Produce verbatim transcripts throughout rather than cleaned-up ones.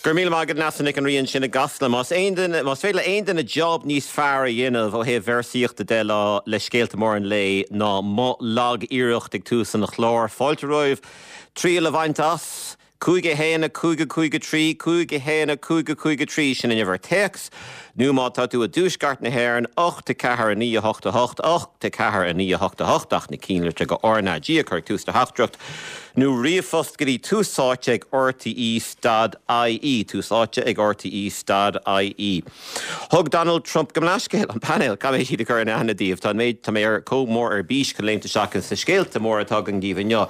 Go raibh míle maith agat Neasa Nic an Rí ansin i gCasla. Más aon duine más féidir le aon duine job níos fearr a dhéanamh ó thaobh véarsaíochta de lá le scéalta móra an lae ná mo lag-iarracht ag tús an chláir. Fáilte romhaibh triail a bhaint as. Cúig a haon a cúig a cúig a trí, cúig a haon a cúig a cúig a trí sin an uimhir téacs, nó má tá tú i dtuaisceart na hÉireann, ocht a ceathair a naoi a hocht a hocht, ocht a ceathair a naoi a hocht a hocht ach na cinnlitreacha go RnaG a chur ag tús do theachtaireacht, nó ríomhphost go dtí tús áite ag RTE stad IE, tús áite ag RTE stad IE. Thug Donald Trump gabh mo leithscéal, an painéal, caithfidh mé siad a chur in aithne daoibh, tá an méid, tá mé ar chomh mór ar bís chun léimt isteach ins na scéalta móra atá againn daoibh inniu.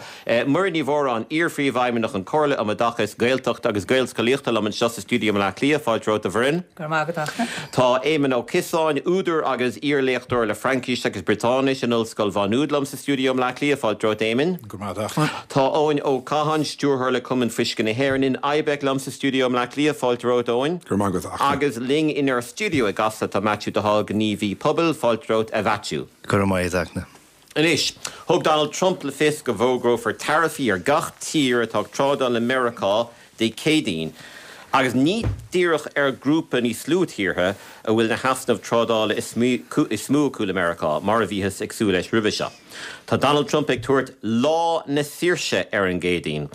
Muireann Ní Mhóráin, iar-phríomhfheidhmeannach an Chomhairle um Oideachas Gaeltachta agus Gaelscolaíochta liom anseo sa stiúideo i mBleá Cliath. Fáilte romhat a Mhuireann. Go raibh maith agat, Fhachtna. Tá Éamon Ó Ciosáin, údar agus iar-léachtóir le Fraincis agus Briotáinis in Ollscoil Mhá Nuad liom sa stiúideo i mBleá Cliath. Fáilte romhat, Éamoin. Go raibh maith agat, a Fhachtna. Tá Eoin Ó Catháin, stiúrthóir le Cumann Fuisce na hÉireann in IBEC liom sa stiúideo i mBleá Cliath. Fáilte romhat, Eoin. Go raibh maith agat, a Fhachtna. Agus linn inár stiúideo i gCasla tá Maitiú de Hál, gníomhaí pobail. Fáilte romhat, a Mhaitiú. Go raibh maith agat, a Fhachtna. Anois, thug Donald Trump le fios go bhfógrófar taraifí ar gach tír atá ag trádáil le Meiriceá Dé Céadaoin, agus ní díreach ar ghrúpa níos lú tíortha a bhfuil na heasnaimh trádála is mó acu le Meiriceá, mar a bhíothas ag súil leis roimhe seo. Tá Donald Trump ag tabhairt Lá na Saoirse ar an gCéadaoin.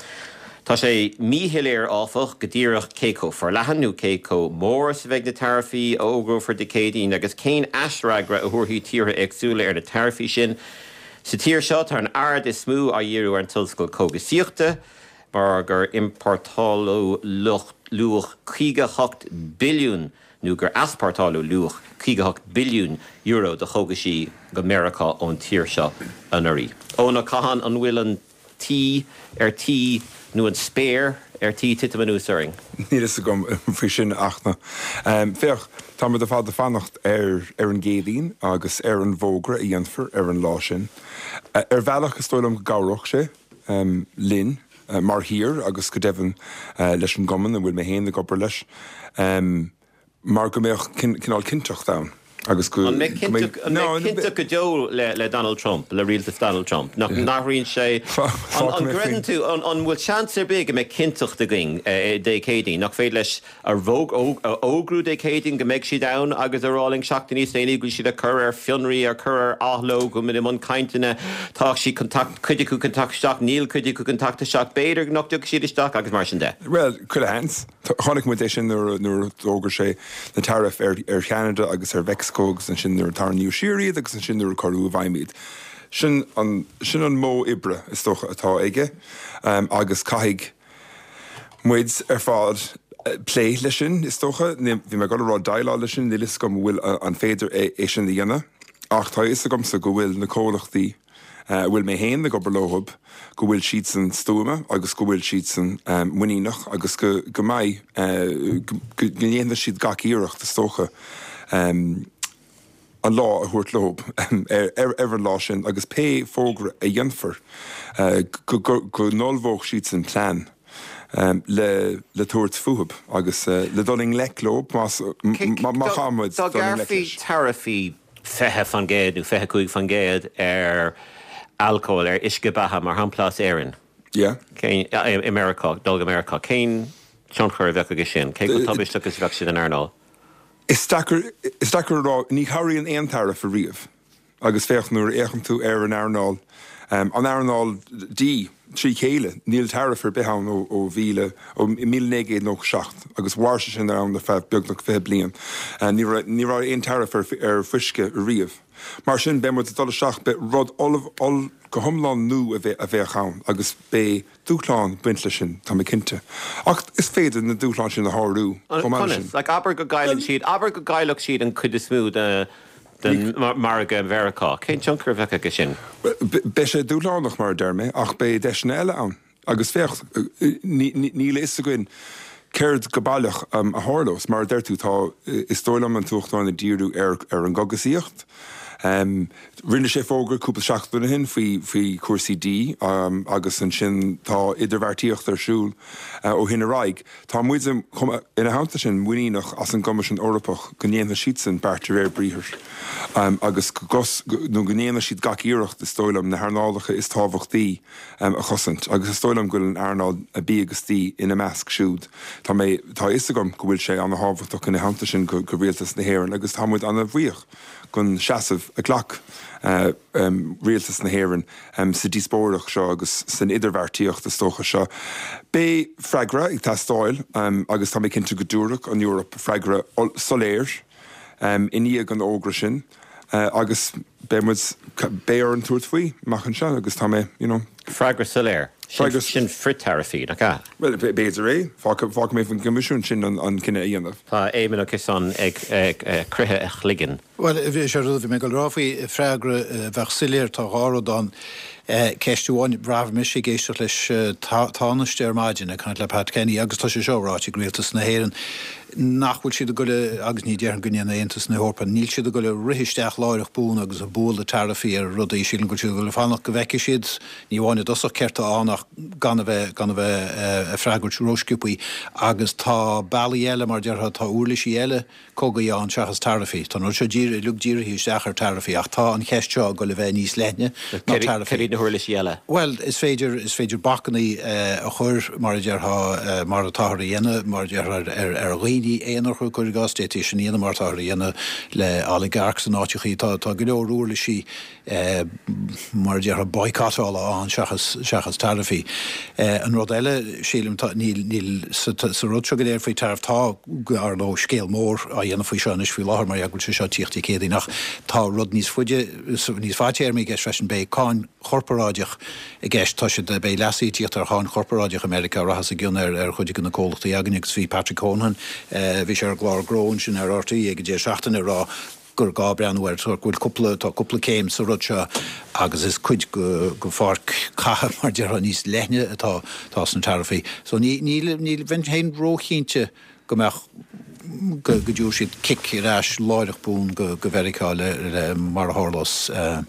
Tá sé míshoiléir, áfach, go díreach cé chomh forleathan nó cé chomh mór is a bheidh na taraifí a fhógrófar Dé Céadaoin agus cén aisfhreagra a thabharfaidh tíortha éagsúla ar na taraifí sin. Sa tír seo, tá an aird is mó á dhíriú ar an tionscal cógaisíochta mar gur iompórtáladh luach caoga a hocht billiún nó gur easpórtáladh luach caoga a hocht billiún euro de chógaisí go Meiriceá ón tír seo anuraidh. Eoin Ó Catháin, an bhfuil an tí ar tí nó an spéir ar tí titim anuas orainn? Níl fhios agam faoi sin, a Fhachtna. Féach, tá muid ar fad ag fanacht ar ar an gCéadaoin agus ar an bhfógra a dhéanfar ar an lá sin. Ar bhealach, is dóigh liom go gcabhródh sé linn mar thír agus go deimhin leis an gcumann a bhfuil mé féin ag obair leis. Mar go mbeadh cineál cinnteacht ann agus go An mbeidh cinnteacht an mbeidh cinnteacht go deo le le Donald Trump, le rialtas Donald Trump? Nach n-athraíonn sé An an gcreideann tú an an bhfuil seans ar bith go mbeidh cinnteacht againn Dé Céadaoin? Nach féidir leis a a fhógrú Dé Céadaoin go mbeidh siad ann agus a rá linn seachtain níos déanaí go bhfuil siad á cur ar fionraí, á cur ar athló, go bhfuil muid i mbun cainteanna, tá siad chun teacht, cuid acu chun teacht isteach, níl cuid acu chun teacht isteach, b'fhéidir nach dtiocfaidh siad isteach agus mar sin de. Bhuel, chuile sheans. Chonaic muid é sin nuair a d'fhógair sé na taraifí ar Cheanada agus ar Mheicsiceo agus ansin nuair a tarraingíodh siar iad agus ansin nuair a cuireadh i bhfeidhm iad. Sin an, sin an modh oibre, is dócha, atá aige agus caithfidh muid ar fad plé leis sin, is dócha. Bhí mé ag dul a rá déileáil leis sin, níl fhios agam an bhfuil, an féidir é sin a dhéanamh ach tá a fhios agamsa go bhfuil na comhlachtaí, a bhfuil mé féin ag obair leo, go bhfuil siadsan stuama agus go bhfuil siadsan muiníneach agus go go mbeidh, go ndéanfaidh siad gach iarracht, is dócha, an lá a thabhairt leo ar an lá sin agus pé fógra a dhéanfar, go go n-ullmhódh siadsan plean le le tabhairt fúthu agus le dul i ngleic leo más má chaithfidh muid dul i ngleic leis. Dá ngearrfaí taraifí fiche faoin gcéad nó fiche cúig faoin gcéad ar alcól, ar uisce beatha, mar shampla as Éirinn, Yeah. cén, i Meiriceá, dul go Meiriceá, cén tionchar a bheadh aige sin? Cé chomh tubaisteach is a bheadh sé don earnáil? Is deacair, is deacair a rá. Ní chabhraíonn aon tariff ariamh. Agus féach, nuair a fhéachann tú ar an earnáil, an earnáil dí trí chéile, níl tariff ar bith ann ó ó mhíle, ó míle naoi gcéad nócha seacht, agus mhair sé sin ann ar feadh beagnach fiche bliain. Ní raibh, ní raibh aon tariff ar ar fuisce ariamh. Mar sin, beidh muid ag dul isteach, beidh rud oll, oll, go hiomlán nua a bheidh, a bheadh ann agus beidh dúshláin ag baint leis sin, tá mé cinnte. Ach is féidir na dúshláin sin a shárú chomh maith leis sin. Conas? Like, abair go gcailleann siad, abair go gcaillfeadh siad an chuid is mó de, den mhargadh i Mheiriceá. Cén tionchar a bheadh aige sin? Beidh sé dúshlánach, mar a deir mé, ach beidh deiseanna eile ann. Agus féach, níl a fhios againn céard go baileach a tharlós. Mar a deir tú, tá, is dóigh liom, an tUachtarán ag díriú ar an gcogasaíocht Rinne sé fógra cúpla seachtain ó shin faoi faoi cúrsaí dí um, agus ansin tá idirbheartaíocht ar siúl uh, ó shin ar aghaidh. Tá muid ina theannta sin muiníneach as an gCoimisiún Eorpach go ndéanfaidh siadsan beart de réir briathair. Um, agus gos, nó go ndéanfaidh siad gach iarracht is dóigh liom na hearnálacha is tábhachtaí um, a chosaint, agus is dóigh liom go bhfuil an earnáil bia agus dí ina measc siúd. Tá mé tá a fhios agam go bhfuil sé an-tábhachtach ina theannta sin go, go rialtas na hÉireann agus tá muid an-bhuíoch den seasamh a ghlac uh, um, rialtas na hÉireann um, sa díospóireacht seo agus san idirbheartaíocht is dócha seo. Beidh freagra ag teastáil um, agus tá mé cinnte go dtabharfaidh an Eoraip freagra soiléir um, i ndiaidh an fhógra sin. Uh, agus beidh beidh orainn tabhairt faoi amach anseo agus tá mé you know, Freagra soiléir. Freagra sin frithtaraifí nach ea. Well b'fhéidir é fágfaidh mé faoin gCoimisiún sin an, an cinneadh a dhéanamh. Tá Éamon Ó Ciosáin ag, ag, ag croitheadh a chloigeann. Well bhí sé rud bhí mé ag rá faoi freagra bheadh soiléir tá dhá rud ann ceist amháin bhí mise ag éisteacht leis Tánaiste ar maidin ag caint le Pat Kenny agus tá sé seo ráite ag rialtas na hÉireann nach bhfuil siad ag goil agus ní déarfainn go ndéanfaidh Aontas na hEorpa, níl siad ag goil ag rith isteach láithreach bonn agus ag bualadh taraifí ar rudaí sílim go bhfuil siad ag goil fanacht go bhfeicfidh siad ní amháin i dtosach céard atá ann ach gan a bheith gan a bheith ag freagairt rósciobtha agus tá bealaí eile mar déarfá tá uirlisí eile cogaidh ann seachas taraifí. Tá an rud seo uilig dírithe isteach ar taraifí ach tá an cheist seo ag goil a bheith níos leithne ná taraifí. na huirlisí eile. Well, is féidir is féidir bacanna uh, a chur mar a déarfá uh, mar atáthar a dhéanamh mar déarfá ar, ar dhaoine aonair cuir i gcás d'fhéadfaí sin a dhéanamh mar atáthar a dhéanamh le oligarchs in áiteachaí tá tá go leor uirlisí uh, mar a déarfá boycottála ann seachas seachas taraifí. Uh, an rud eile sílim tá níl níl sa, sa rud seo go léir faoi tariff tá ar nó scéal mór á dhéanamh faoi seo anois faoi láthair mar go bhfuil sé seo tíocht céadaoin ach tá rud níos faide níos fadtéarmaí i gceist freisin beidh cáin chorparáideach i gceist tá siad beidh leasuithe ag tíocht ar cháin chorparáideach America rachas i gcion ar ar chuid de na comhlachtaí againn agus bhí Patrick Honohan uh, bhí sé ar an gclár sin ar RTÉ ag deireadh seachtaine ag rá gur gá breathnú air go bhfuil cúpla tá cúpla céim sa rud seo agus is cuid de de pháirc catha mar déarfá níos leithne atá tá sna taraifí. So ní ní ní bheinn féin róchinnte go mbeadh go go dtabharfaidh siad cic ar ais láithreach bonn go go Mheiriceá le, le mar a tharlós uh,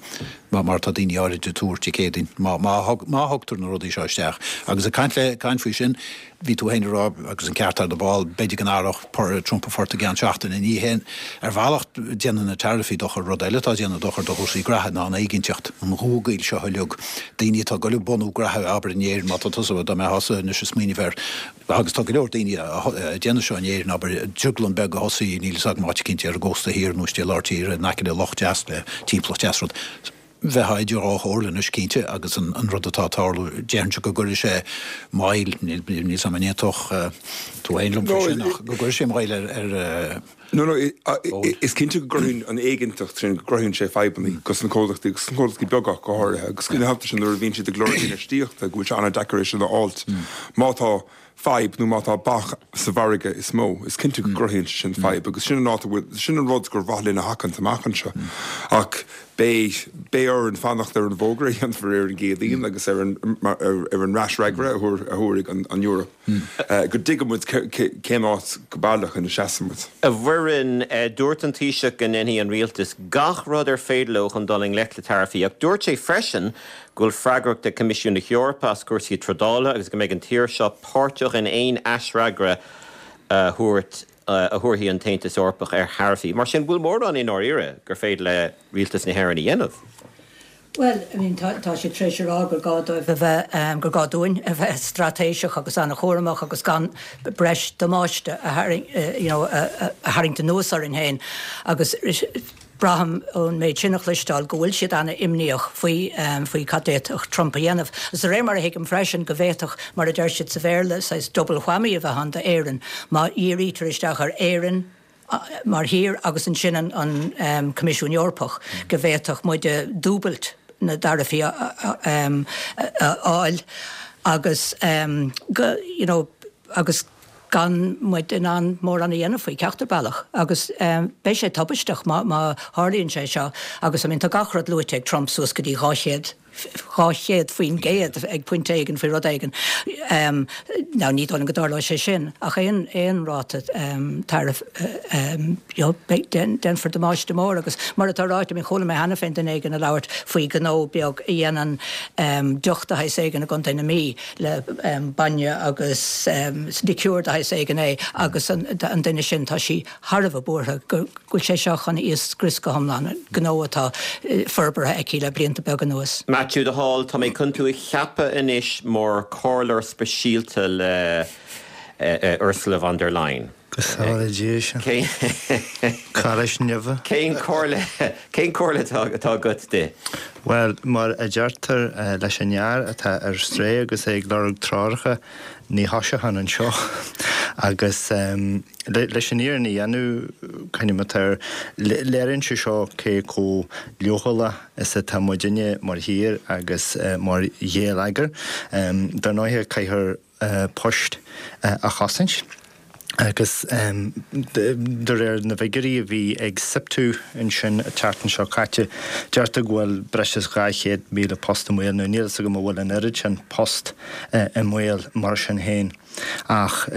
mar mar tá daoine áirithe ag tuar céadaoin má má má thugtar na rudaí seo isteach. Agus ag caint le caint faoi sin bhí tú féin ag rá agus an ceart ar do ball b'fhéidir go n-athródh Trump a phort i gceann seachtaine ní hé ar bhealach déanann na taraifí dochar rud eile tá déanamh dochar do chúrsaí graithe ná an éiginnteacht an ghuagail seo uilig daoine atá ag goil ag bunú graithe abair in Éirinn má tá tusa dá mbeifeása anois ag smaoineamh air agus tá go leor daoine déanamh seo in Éirinn abair drioglann beag a thosaí níl a fhios agam áit eicínt ar an gcósta thiar nó istigh lár tíre in aice le loch deas le timpeallacht deas rud. Bheifeá idir dhá chomhairle anois cinnte agus an, an rud atá ag tarlú déarfainnse go gcuirfidh sé moill níl níl sam an étoch tú féin liom faoi sin ach go gcuirfidh sé moill ar ar No no is cinnte go gcruthaíonn an éiginnteacht sin go gcruthaíonn sé fadhbanna dos na comhlachtaí agus na comhlachtaí beaga go háirithe agus ina theannta sin nuair a bhíonn siad ag lorg infheistíochta go bhfuil sé an-deacair é sin a fháilt. Má tá fadhb nó má tá bac sa mhargadh is mó, is cinnte go gcruthaíonn sin fadhb agus sin an áit sin an rud gur mhaith linn a sheachaint amach anseo. Ach beidh beidh orainn fanacht ar an bhfógra a dhéanfar ar an gCéadaoin agus ar an ar an fhreagra a thabharfaidh an an Eoraip. Go dtuigfidh muid cén áit go baileach ina seasann muid. A Mhuireann dúirt an Taoiseach go ndéanfaidh an rialtas gach rud ar féidir leo chun dul i ngleic le taraifí, ach dúirt sé freisin go bhfuil freagracht ag Coimisiún na hEorpa as cúrsaí trádála agus go mbeidh an tír seo páirteach in aon aisfhreagra a thabhairt a thabharfaidh an tAontas Eorpach ar tharaifí. Mar sin bhfuil mórán i ndáiríre gur féidir le rialtas na hÉireann a dhéanamh. Well, I mean, tá, tá sé tar éis a rá gur gá dóibh a bheith um, gur gá dúinn a bheith straitéiseach agus an-chúramach agus gan breis damáiste a tharraing, uh, you know, a, a, a tharraingt anuas orainn féin agus braithim ón méid sin a chloisteáil go bhfuil siad an-imníoch faoi um, faoi cad d'fhéadfadh Trump a dhéanamh. Is de réir mar a thuigim freisin go bhféadfadh mar a deir siad sa Bhéarla saghas double whammy a bheith ann d'Éirinn má dhírítear isteach ar Éirinn mar thír agus ansin an, an um, Coimisiún Eorpach go bhféadfadh muid dúbailt na dtaraifí a fháil agus um, go, you know, agus gan muid in ann mórán a dhéanamh faoi ceachtar bealach agus um, beidh sé tubaisteach má má tharlaíonn sé seo agus I mean, tá gach rud luaite ag Trump suas go dtí dhá chéad dhá chéad faoin gcéad ag pointe éigin faoi rud éigin. Now ní dóigh liom go dtarlóidh sé sin ach aon aon ráta tariff you know déanfar damáiste mór agus mar atá ráite I mean chuala mé cheana féin duine éigin ag labhairt faoi ghnó beag a dhéanann deoch de shaghas éigin i gContae na Mí le bainne agus liqueur de shaghas éigin é agus an duine sin tá sí thar a bheith buartha go bhfuil sé seo chun í a scrios go hiomlán, gnó atá forbartha aici le blianta beaga anuas. Matthew de Hál, tá mé chun tú a cheapadh anois mar chomhairleoir speisialta le Ursula von der Leyen. Go sábhála Dia sinn. Cairéis neimhe. Cén chomhairle cén chomhairle atá agat di? Bhuel, mar a deirtear leis an fhear atá ar strae agus é ag lorg treoracha, ní thoiseochainn anseo. Agus leis an fhírinne a dhéanamh, coinním air, léiríonn sé seo cé chomh leochaileach is atá muidinne mar thír agus mar gheilleagar. Dar ndóighe, caithfear poist a chosaint. Agus de réir na bhfigiúirí a bhí ag SIPTU ansin an tseachtain seo caite, deirtear go bhfuil breis is dhá chéad míle post i mbaol. Nó níl fhios agam an bhfuil an oiread sin post i mbaol mar sin féin. Ach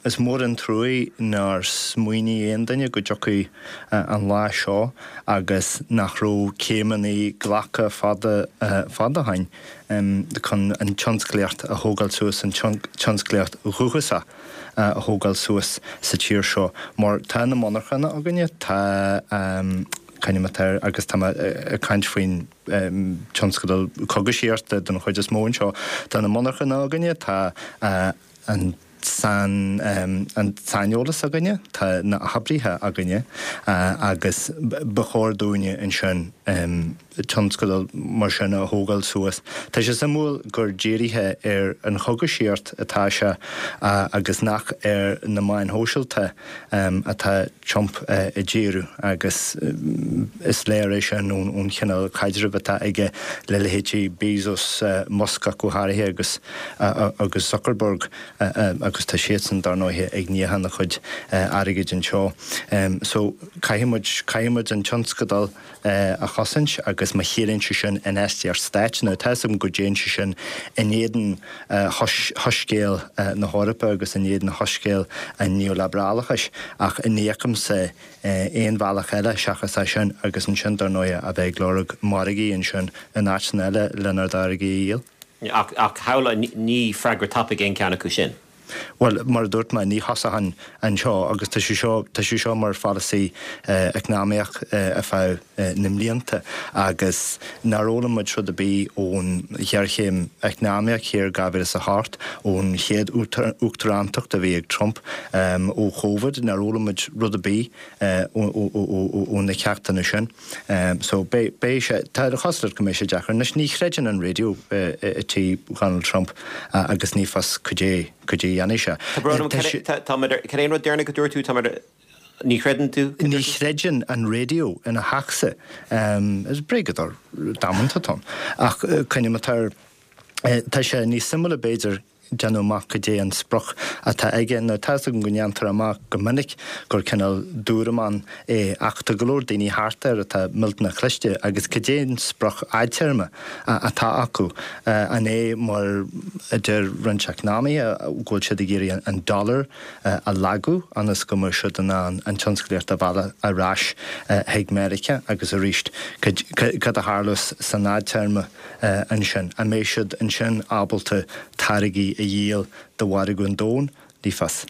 is mór an truaí nár smaoinigh aon duine go dtiocfadh an lá seo agus nach raibh céimeanna glactha fada fada ó shin chun an tionsclaíocht a thógáil suas, an tionsclaíocht dhúchasach. a thógáil suas sa tír seo mar tá na monarchana againne, tá c'ainm atá air agus tá mé ag caint faoin tionscadal cógaisíochta den chuid is mó anseo, tá na monarchana againne, tá an an saineolas againne, tá na hoibrithe againne agus ba chóir dúinne ansin tionscadal mar sin a thógáil suas. Tá sé suimiúil gur dírithe ar an chógaisíocht atá sé agus nach ar na meáin shóisialta atá Trump ag díriú agus is léir é sin ón chineál caidrimh atá aige le leithéidí Bezos, Musk ach go háirithe agus agus Zuckerberg agus tá siadsan dar ndóighe ag níochán a chuid airgid anseo. So caithfidh muid, caithfidh muid an tionscadal a chosaint agus má chiallaíonn sé sin infheistíocht stáit, now tá 'fhios agam go dtéann sé sin in éadan shoiscéal na hEorpa agus in éadan shoiscéal an neoliobrálachais ach ní fheicimse aon bhealach eile seachas é sin agus ansin dar ndóighe a bheith ag lorg margaí ansin in áiteanna eile lenár dtáirgí a dhíol. Ach shamhlaigh, ní freagra tapaidh aon cheann acu sin. Bhuel, mar a dúirt mé, ní thosóchainn anseo agus tá sé seo, tá sé seo mar pholasaí eacnamaíoch ar feadh na mblianta agus nár fhoghlaim muid rud ar bith ón ghéarchéim eacnamaíoch thiar dhá mhíle is a hocht, ón chéad uachtarántacht a bhí ag Trump, ó Covid, nár fhoghlaim muid rud ar bith ó na ceachtanna sin. So beidh, beidh sé, tá a chosúlacht go mbeidh sé deacair. Anois ní chreideann an raidió i tí Dhonald Trump agus ní fios cad é, cad é a dhéanfaidh sé. Tá brón orm, tá mé, cad é an rud deireanach a dúirt tú, tá mé, ní chreideann tú? Ní chreideann an raidió ina theachsa. Is bréagadóir damanta atá ann. Ach coinním air, tá sé níos suimiúla b'fhéidir déanamh amach cad é an sprioc atá aige. Now tá 'fhios agam go ndéantar amach go minic gur cineál dúramán é ach tá go leor daoine thart air atá millteanach cliste agus cad é an sprioc fhadtéarma atá acu? An é mar a deir roinnt eacnamaithe go bhfuil siad ag iarraidh an dollar a lagú ionas go mbeidh siad in ann an tionsclaíocht a mhealladh ar ais chuig Meiriceá agus arís cad a tharlós san fhadtéarma ansin? An mbeidh siad ansin ábalta táirgí a dhíol do mhargadh an domhain? Ní fios.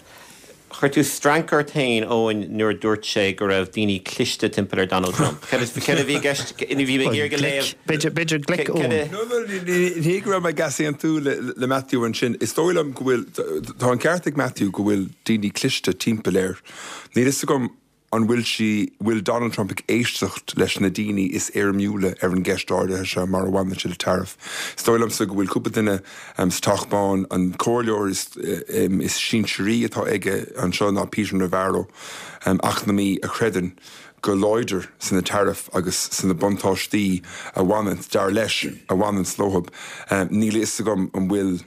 Chuir tú strainc ort féin, Eoin, nuair a dúirt sé go raibh daoine cliste timpeall ar Donald Trump. Cad a bhí i gceist? Bhí mé ag iarraidh a léamh. B'fhéidir glic, Eoin. No, no, ní hé go raibh mé ag easaontú le Matthew ansin. Is dóigh liom go bhfuil, tá an ceart ag Matthew go bhfuil daoine cliste timpeall air. Níl fhios agam An bhfuil sí, bhfuil Donald Trump ag éisteacht leis na daoine is éirimiúla ar an gceist áirithe seo mar a bhaineann sé le tariff? Is dóigh liomsa go bhfuil cúpla duine sa Teach Bán, an comhairleoir is is sinsearaí atá aige anseo ná Peter Navarro, eacnamaí a chreideann go láidir sna tariff agus sna buntáistí a bhaineann, dar leis, a bhaineann leo. Níl a fhios agam an bhfuil.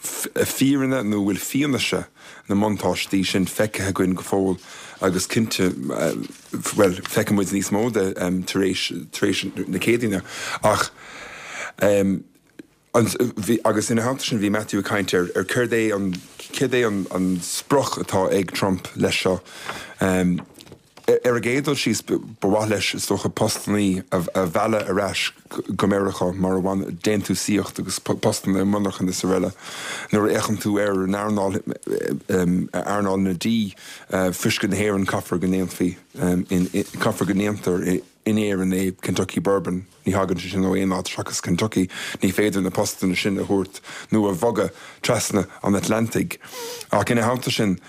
fírinne nó bhfuil fianaise na mbuntáistí sin feicthe againn go fóill agus cinnte, bhuel, feicfidh muid níos mó de tar éis, tar éis na Céadaoine. Ach Um, bhí, agus ina theannta sin bhí Matthew ag caint ar ar céard é an céard é an, an sprioc atá ag Trump leis seo. Um, ar an gcéad dul síos ba mhaith leis is dócha postanna a, a mhealladh ar ais go Meiriceá mar a bhain déantúsaíocht agus postanna i monarchan is araile. Nuair a fhéachann tú ar an earnáil earnáil na dí fuisce na hÉireann caithfear go ndéanfaí caithfear go ndéantar in Éirinn é Kentucky Bourbon ní thagann sé sin ó aon áit seachas Kentucky, ní féidir na postanna sin a thabhairt nó a bhogadh trasna an Atlantaigh. Ach ina theannta sin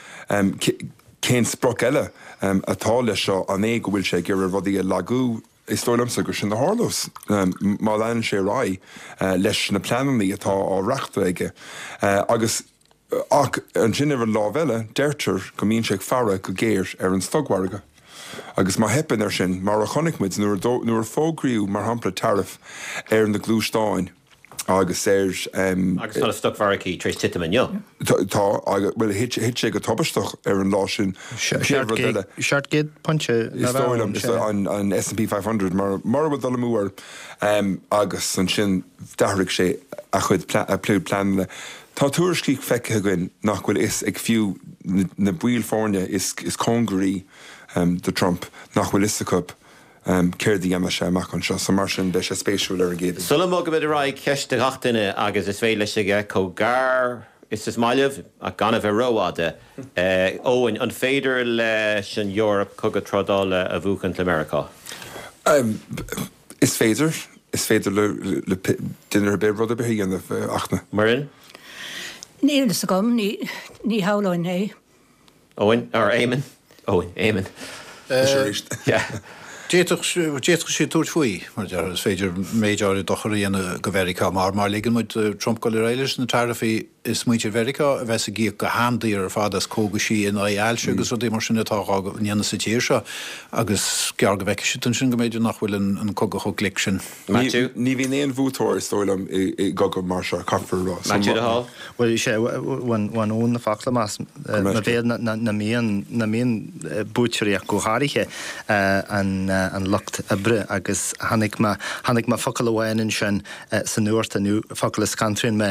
cén sprioc eile atá leis seo an é go bhfuil sé ag iarraidh rudaí a lagú is dóigh liomsa gur sin a tharlós má leanann sé ar aghaidh leis na pleananna atá á reachtadh aige. Agus ach ansin ar an lámh eile deirtear go mbíonn sé ag faire go géar ar an stocmhargadh. Agus má theipeann air sin, mar a chonaic muid nuair nuair a fógraíodh mar shampla tariff ar na gluaisteáin agus ar um, Agus tá na stocmhargaí tar éis titim inniu. Tá bhuel thit sé go tubaisteach ar an lá sin Seacht gcéad pointe Is dóigh liom an, an S and P five hundred mar mar bhfuil dul amú um, agus ansin d'athraigh sé a chuid a chuid pleananna. Tá tuairiscí feicthe againn nach bhfuil fhios ag fiú na baill foirne is, is cóngaraí um, do Trump nach bhfuil fhios acu um, céard a dhéanfaidh sé amach anseo, so mar sin beidh sé spéisiúil ar an gcéad. Sula mbogaimid ar aghaidh ceist do gach duine agus is féidir leis aige chomh gar is is maith libh ach gan a bheith rófhada. Eoin, an féidir leis an Eoraip cogadh trádála a bhuachan le Meiriceá? Um, is féidir is féidir le, le, le duine ar bith rud ar bith a dhéanamh achna. Muireann? Níl fhios agam ní ní hamhlainn é. Owen or Eamon? Owen, Eamon. Yeah. D'fhéadfadh sé tabhairt faoi mar is féidir méid áirithe dochar a dhéanamh go Mheiriceá mar mar ligeann muid Trump go leir leis na taraifí is muintir Mheiriceá a bheas ag íoc go han-daor ar fad as cógaisí in aghaidh ailse agus rudaí mar sin atá á ndéanamh sa tír seo agus gearr go bhfeicfidh siad ansin go mb'fhéidir nach bhfuil an cogadh chomh glic sin. Matthew? Ní bhíonn aon bhuaiteoir is dóigh liom i gcogadh mar seo caithfear rá. Matthew de Hall? Well sé bhain ón na focla más na bhéad na mbíonn na mbíonn buaiteoirí go háirithe an an lucht oibre agus tháinig mé tháinig mé focal amháin ansin san nuacht nó focal a scanraíonn mé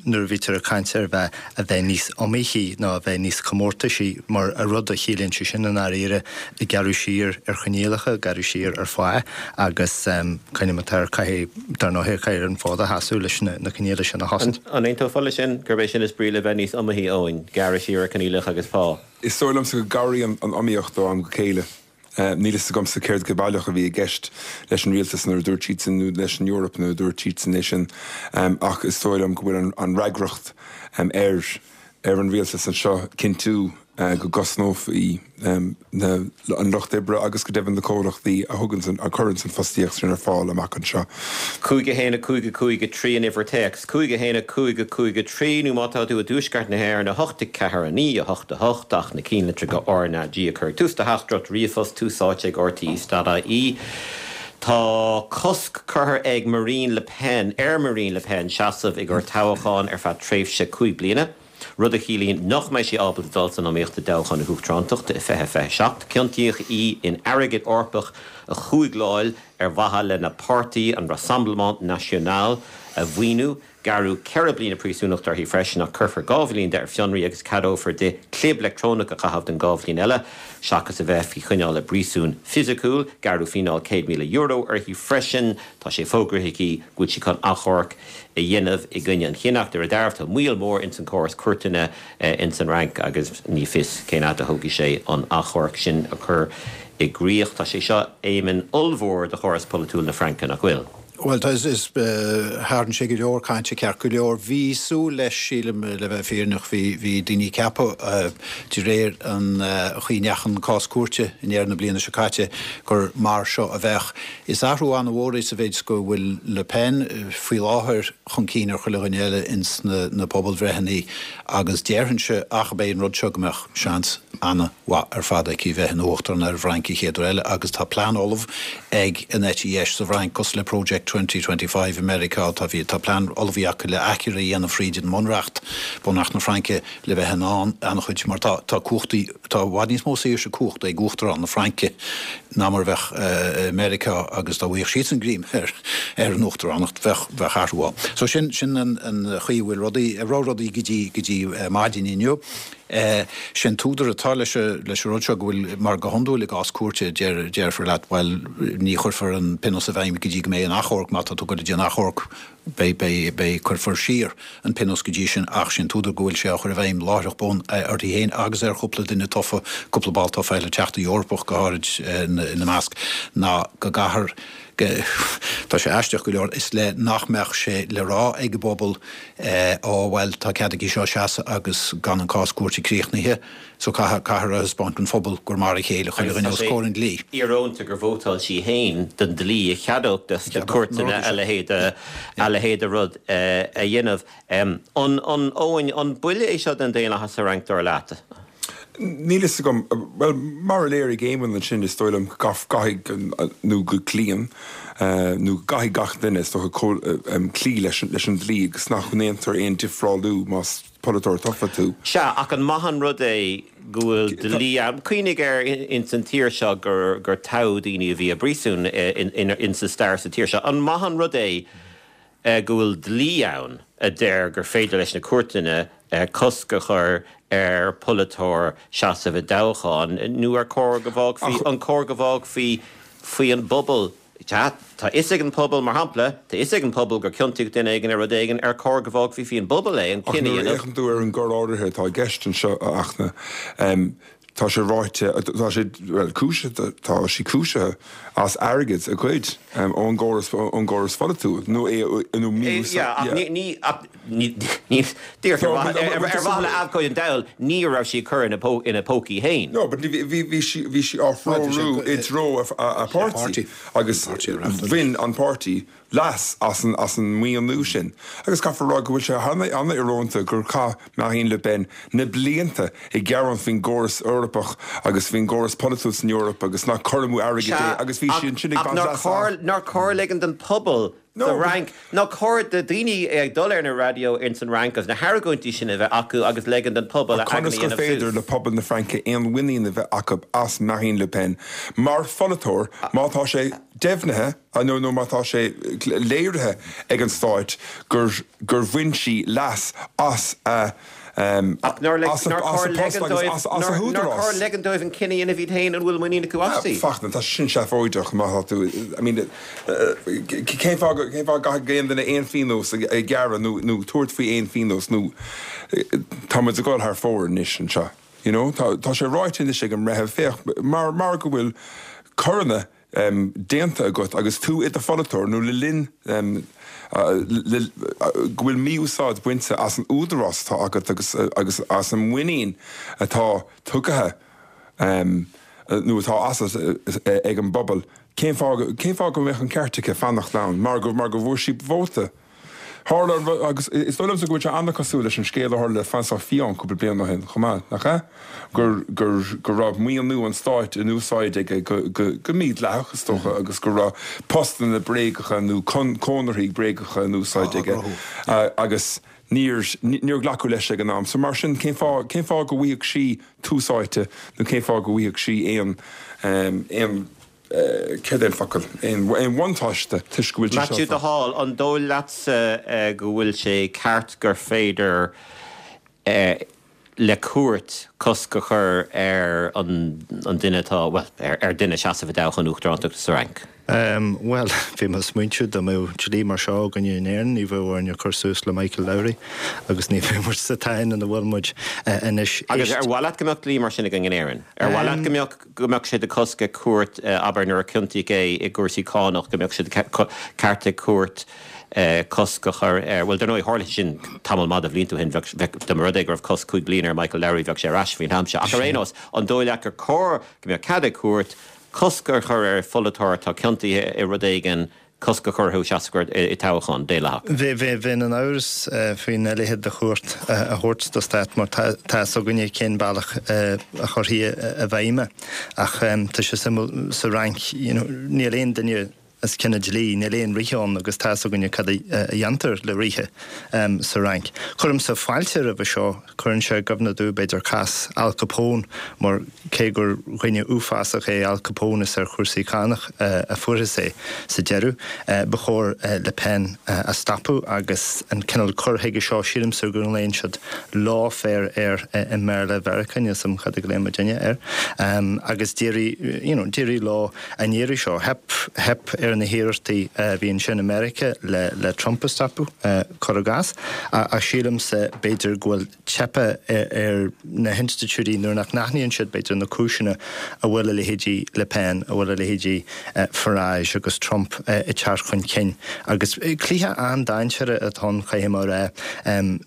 nuair a bhítear ag caint ar bheith a bheith níos iomaíche nó a bheith níos comórtaisí mar a rud a chiallaíonn sé sin an áirithe ag gearradh siar ar choinníollacha, gearradh siar ar phá agus cuimhním ar caithfidh dar ndóigh caithfidh an fód a sheasamh leis na na coinníollacha sin a chosaint. An aontófá leis sin gurb é sin is brí le bheith níos iomaíche Eoin, gearradh siar ar choinníollacha agus pá. Is dóigh liomsa go gcabhraíonn an iomaíocht ó am go chéile. Uh, Níl fhios agamsa céard go baileach a bhí i gceist leis an rialtas nuair a dúirt siad nó leis an Eoraip nuair a dúirt siad é sin um, ach is dóigh liom go bhfuil an, an fhreagracht um, ar ar an rialtas anseo cinntiú uh, go gcosnófaí um, na, an lucht oibre agus go deimhin na comhlachtaí a thugann a chuireann an fostaíocht sin ar fáil amach anseo. Cúig a haon cúig cúig trí an uimhir téacs, Cúig a haon cúig cúig trí nó má tá tú i dtuaisceart na hÉireann a hocht ceathair a naoi a hocht a hocht ach na cinnlitreacha R ná G a chur tús do theachtaireacht ríomhphost Tús Áite ag R T E dot I E. Tá cosc curtha ag Marine Le Pen ar Marine Le Pen seasamh i gcomhair toghchán ar feadh tréimhse cúig bliana. Rud a chiallaíonn nach mbeidh sí ábalta dul san iomaíocht i dtoghchán na huachtaránachta i fiche fiche seacht, Ciontaíodh í in airgead Eorpach a chúigleáil ar mhaithe lena páirtí an Rassemblement National a mhaoiniú, Gearradh ceithre bliana príosúnachta uirthi freisin ach cuirfear dhá bhliain de ar fionraí agus ceadófar di clib leictreonach a chaitheamh don dhá bhliain eile, seachas a bheith faoi choinneáil i bpríosún fisiciúil, gearradh fíneáil céad míle euro uirthi freisin, tá sé fógraithe aici go bhfuil sí chun achomharc a dhéanamh i gcoinne an chinnidh ar deireadh tá moill mhór ins an córas cúirteanna ins an Fhrainc agus ní fios cén fhad a thógfaidh sé an achomharc sin a chur i gcrích. Tá sé seo Éamonn ollmhór do chóras polaitiúil na Fraince nach bhfuil. Well tá is tharraing sé go leor cainte ceart go leor bhí súil leis sílim le bheith fírinneach bhí bhí daoine ag ceapadh de réir an chaoi a ndeachaigh an cás cúirte i ndeireadh na bliana seo caite gur mar seo a bheadh. Is athrú an-mhór é sa mhéid go bhfuil Le Pen faoi láthair chun cinn ar chuile dhuine eile ins na, na pobalbhreitheanna agus déarfainnse ach b'é an rud seo go mbeadh seans an-mhaith ar fad aici bheith ina huachtarán ar an bhFrainc an chéad uair eile agus tá plean ullamh ag an eite dheis sa Fhrainc cosúil le Project twenty twenty five i Meiriceá, tá bhí, tá plean ullmhaithe acu le athchur a dhéanamh fríd an mbunreacht, bunreacht na Fraince, le bheith in ann an-chuid, mar tá, tá cumhachtaí, tá i bhfad níos mó saoirse cumhachta ag Uachtarán na Fraince ná mar a bheadh i Meiriceá agus dá bhfaigheadh siadsan greim ar, ar an uachtaránacht, bheadh, bheadh athrú ann. So sin, sin an, an chaoi a bhfuil rudaí, a raibh rudaí go dtí, go dtí maidin inniu. Sé an t-údar atá leis an rud seo go bhfuil, mar go hiondúil i gcás cúirte, déarfar leat, bhuel, ní chuirfear an pionós i bhfeidhm go dtí go mbeidh an achomharc, má tá tú ag goil go dtí an achomharc, beidh, beidh, beidh, cuirfear siar an pionós go dtí sin ach sé an t-údar go bhfuil sé á chur i bhfeidhm láithreach bonn uirthi féin agus ar chúpla duine tofa, cúpla ball tofa eile, Teachta Eorpach go háirid ina measc, ná go gcaithfear, Tá sé aisteach go leor, is le nach mbeadh sé le rá ag an bpobal, Ó, bhuel, tá cead aici seo seasamh agus gan an cás cúirte críochnaithe, so caithfear a thaispeáint don phobal gur mar a chéile chuile dhuine os comhair an dlí. Íorónta gur vótáil sí féin don dlí a cheadódh dos na cúirteanna a leithéid a leithéid de rud a dhéanamh. An, an, Eoin, an buille é seo don daonlathas sa Fhrainc, dar leat? Níl fhios agam. Bhuel, mar a léirigh Éamonn ansin, is dóigh liom go gcaithfidh nó go gcloíonn nó go gcaithfidh gach duine, is dócha, cloí leis an dlí agus nach ndéantar aon difreálú más polaiteoir tofa tú. Sea, ach an maith an rud é go bhfuil dlí ann? Cuimhnigh air ins an tír seo gur toghadh daoine a bhí i bpríosún ins an stair sa tír seo. An maith an rud é go bhfuil dlí ann a deir gur féidir leis na cúirteanna cosc a chur ar pholaiteoir seasamh i dtoghchán, nó ar chóir go bhfágfaí, an cóir go bhfágfaí faoi an bpobal, tá fhios ag an pobal, mar shampla, tá fhios ag an pobal gur ciontaíodh duine éigin ar rud éigin, ar chóir go bhfágfaí faoi an bpobal é, an cinneadh a dhéanamh? Ach nuair a fhéachann tú ar an gcoir áirithe atá i gceist anseo, a Fhachtna, tá sé ráite, tá sé, bhuel, cúisithe, tá sí cúisithe as airgead a ghoid ón gcóras, ón gcóras pholaitiúil, nó é, nó mí-úsáid. Yeah, ach ní, ní, ach ní, ní, díreach ar mhaithe, ar mhaithe le abhcóide an diabhail, ní raibh sí ag cur ina pó, ina pócaí féin. No, but bhí, bhí, bhí sí, bhí sí á threorú i dtreo a, a páirtí agus bhain an páirtí leas as an as an maoiniú sin. Agus caithfear a rá go bhfuil sé an-íorónta gur chaith Marine Le Pen na blianta ag gearán faoin gcóras Eorpach agus faoin gcóras polaitiúil san Eoraip agus nach cur amú airgid é agus bhí sí ansin ag Ach baint nár leas chóir nár chóir ligean don phobal sa Fhrainc, nár chóir do dhaoine ag dul ar na raidió ins an Fhrainc agus na hargóintí sin a bheith acu agus ligean don phobal a Ach aigne conas a gur dhéanamh féidir suas? le pobal na Fraince aon mhuinín a bheith acu as Marine Le Pen mar pholaiteoir má tá sé deimhnithe nó nó má tá sé léirithe ag an stáit gur gur bhain sí leas as a Ach nár as a nár as a chóir post ligean agus dóibh as as a nár nár húdarás. chóir ligean dóibh an cinneadh a dhéanamh iad féin an bhfuil muinín acu aisti? Fachtna, tá sin seafóideach má tá tú I mean cén fáth cén fáth go gcaithfidh aon duine aon phionós a ghearradh nó nó tabhairt faoi aon phionós nó tá muid ag dul thar fóir anois anseo. You know, tá tá sé ráite anois ag an mbreitheamh féach mar mar go bhfuil coireanna déanta agat agus tú i do pholaiteoir nó le linn go bhfuil mí-úsáid bainte as an údarás atá agat agus agus as an muinín atá tugtha nó atá asat ag an bpobal, cén fáth cén fáth go mbeadh an ceart aici fanacht ann mar go mar go bhfuair sí vóta? Tharla an rud, agus is dóigh liomsa go bhfuil sé an-cosúil leis an scéal a tharla le François Fillon cúpla bliain ó shin chomh maith, nach ea? Gur, gur, go raibh maoiniú an stáit in úsáid aige go, go, go mídhleathach, is dócha, agus go raibh postanna bréagacha nó conarthaí bréagacha in úsáid aige agus níor, níor glacadh leis ag an am. So mar sin, cén fáth, cén fáth go bhfaigheadh sí tús áite nó cén fáth go bhfaigheadh sí aon, aon, Céard é an focal? Aon bhuntáiste toisc go bhfuil sí Maitiú seo. de Hál, An dóigh leatsa go bhfuil sé ceart gur féidir le cúirt cosc a chur ar an duine atá, bhuel, ar dhuine seasamh i dtoghchán uachtarántachta sa Fhrainc? Bhuel, bhí mé ag smaointiú dá mbeadh dlí mar seo againne in Éirinn, ní bheadh orainn cur suas le Michael Lowry agus ní bheadh muid sa tsáinn ina bhfuil muid anois. Agus ar mhaith leat go mbeadh dlí mar sin againn in Éirinn? Ar mhaith leat go mbeadh go mbeadh sé de chosc ag cúirt, abair nuair a ciontaíodh é i gcúrsaí cánach, go mbeadh sé de ceart ag cúirt cosc a chur air. Bhuel, dar ndóigh, tharla sé sin tamall maith de bhlianta ó shin, bheadh, bheadh, dá mba rud é go raibh cosc cúig bliana ar Michael Lowry, bheadh sé ar ais faoin am seo. Ach ar aon nós, an dóigh leat gur cóir go mbeadh cead ag cúirt cosc a chur ar pholaiteoir atá ciontaithe i rud éigin, cosc a chur orthu seasamh i dtoghchán daonlathach. Bheinn in amhras faoina leithéid de chúirt a thabhairt do stát mar tá fhios againne cén bealach a chuirfí i bhfeidhm é. Ach tá sé suimiúil sa Fhrainc, you know, níl aon duine is cinneadh dlí, níl aon ríthe ann agus tá 'fhios againne cad a dhéantar le ríthe sa Fhrainc. Cuirimse fáilte roimhe seo, cuireann sé i gcuimhne domh b'fhéidir cás Al Capone mar cé gur dhuine uafásach é Al Capone is ar chúrsaí cánach a fuarthas é sa deireadh, ba chóir Le Pen a stopadh agus an cineál cur chuige seo, sílimse go nglaonn siad lawfare air i mBéarla Mheiriceá, níl 'fhios a'm cad a ghlaonn muidinne air, agus d'éirigh, you know, d'éirigh leo an iarraidh seo. Theip, theip ar na hiarrachtaí a bhí ansin i Meiriceá le, le Trump a stopadh, cuir i gcás, ach sílimse b'fhéidir go bhfuil teipthe ar na hinstitiúidí nuair nach n-aithníonn siad b'fhéidir na cúiseanna a bhfuil a leithéidí Le Pen, a bhfuil a leithéidí Farage agus Trump ag teacht chun cinn. Agus cluiche an-dainséarach atá ann, caithfidh mé a rá,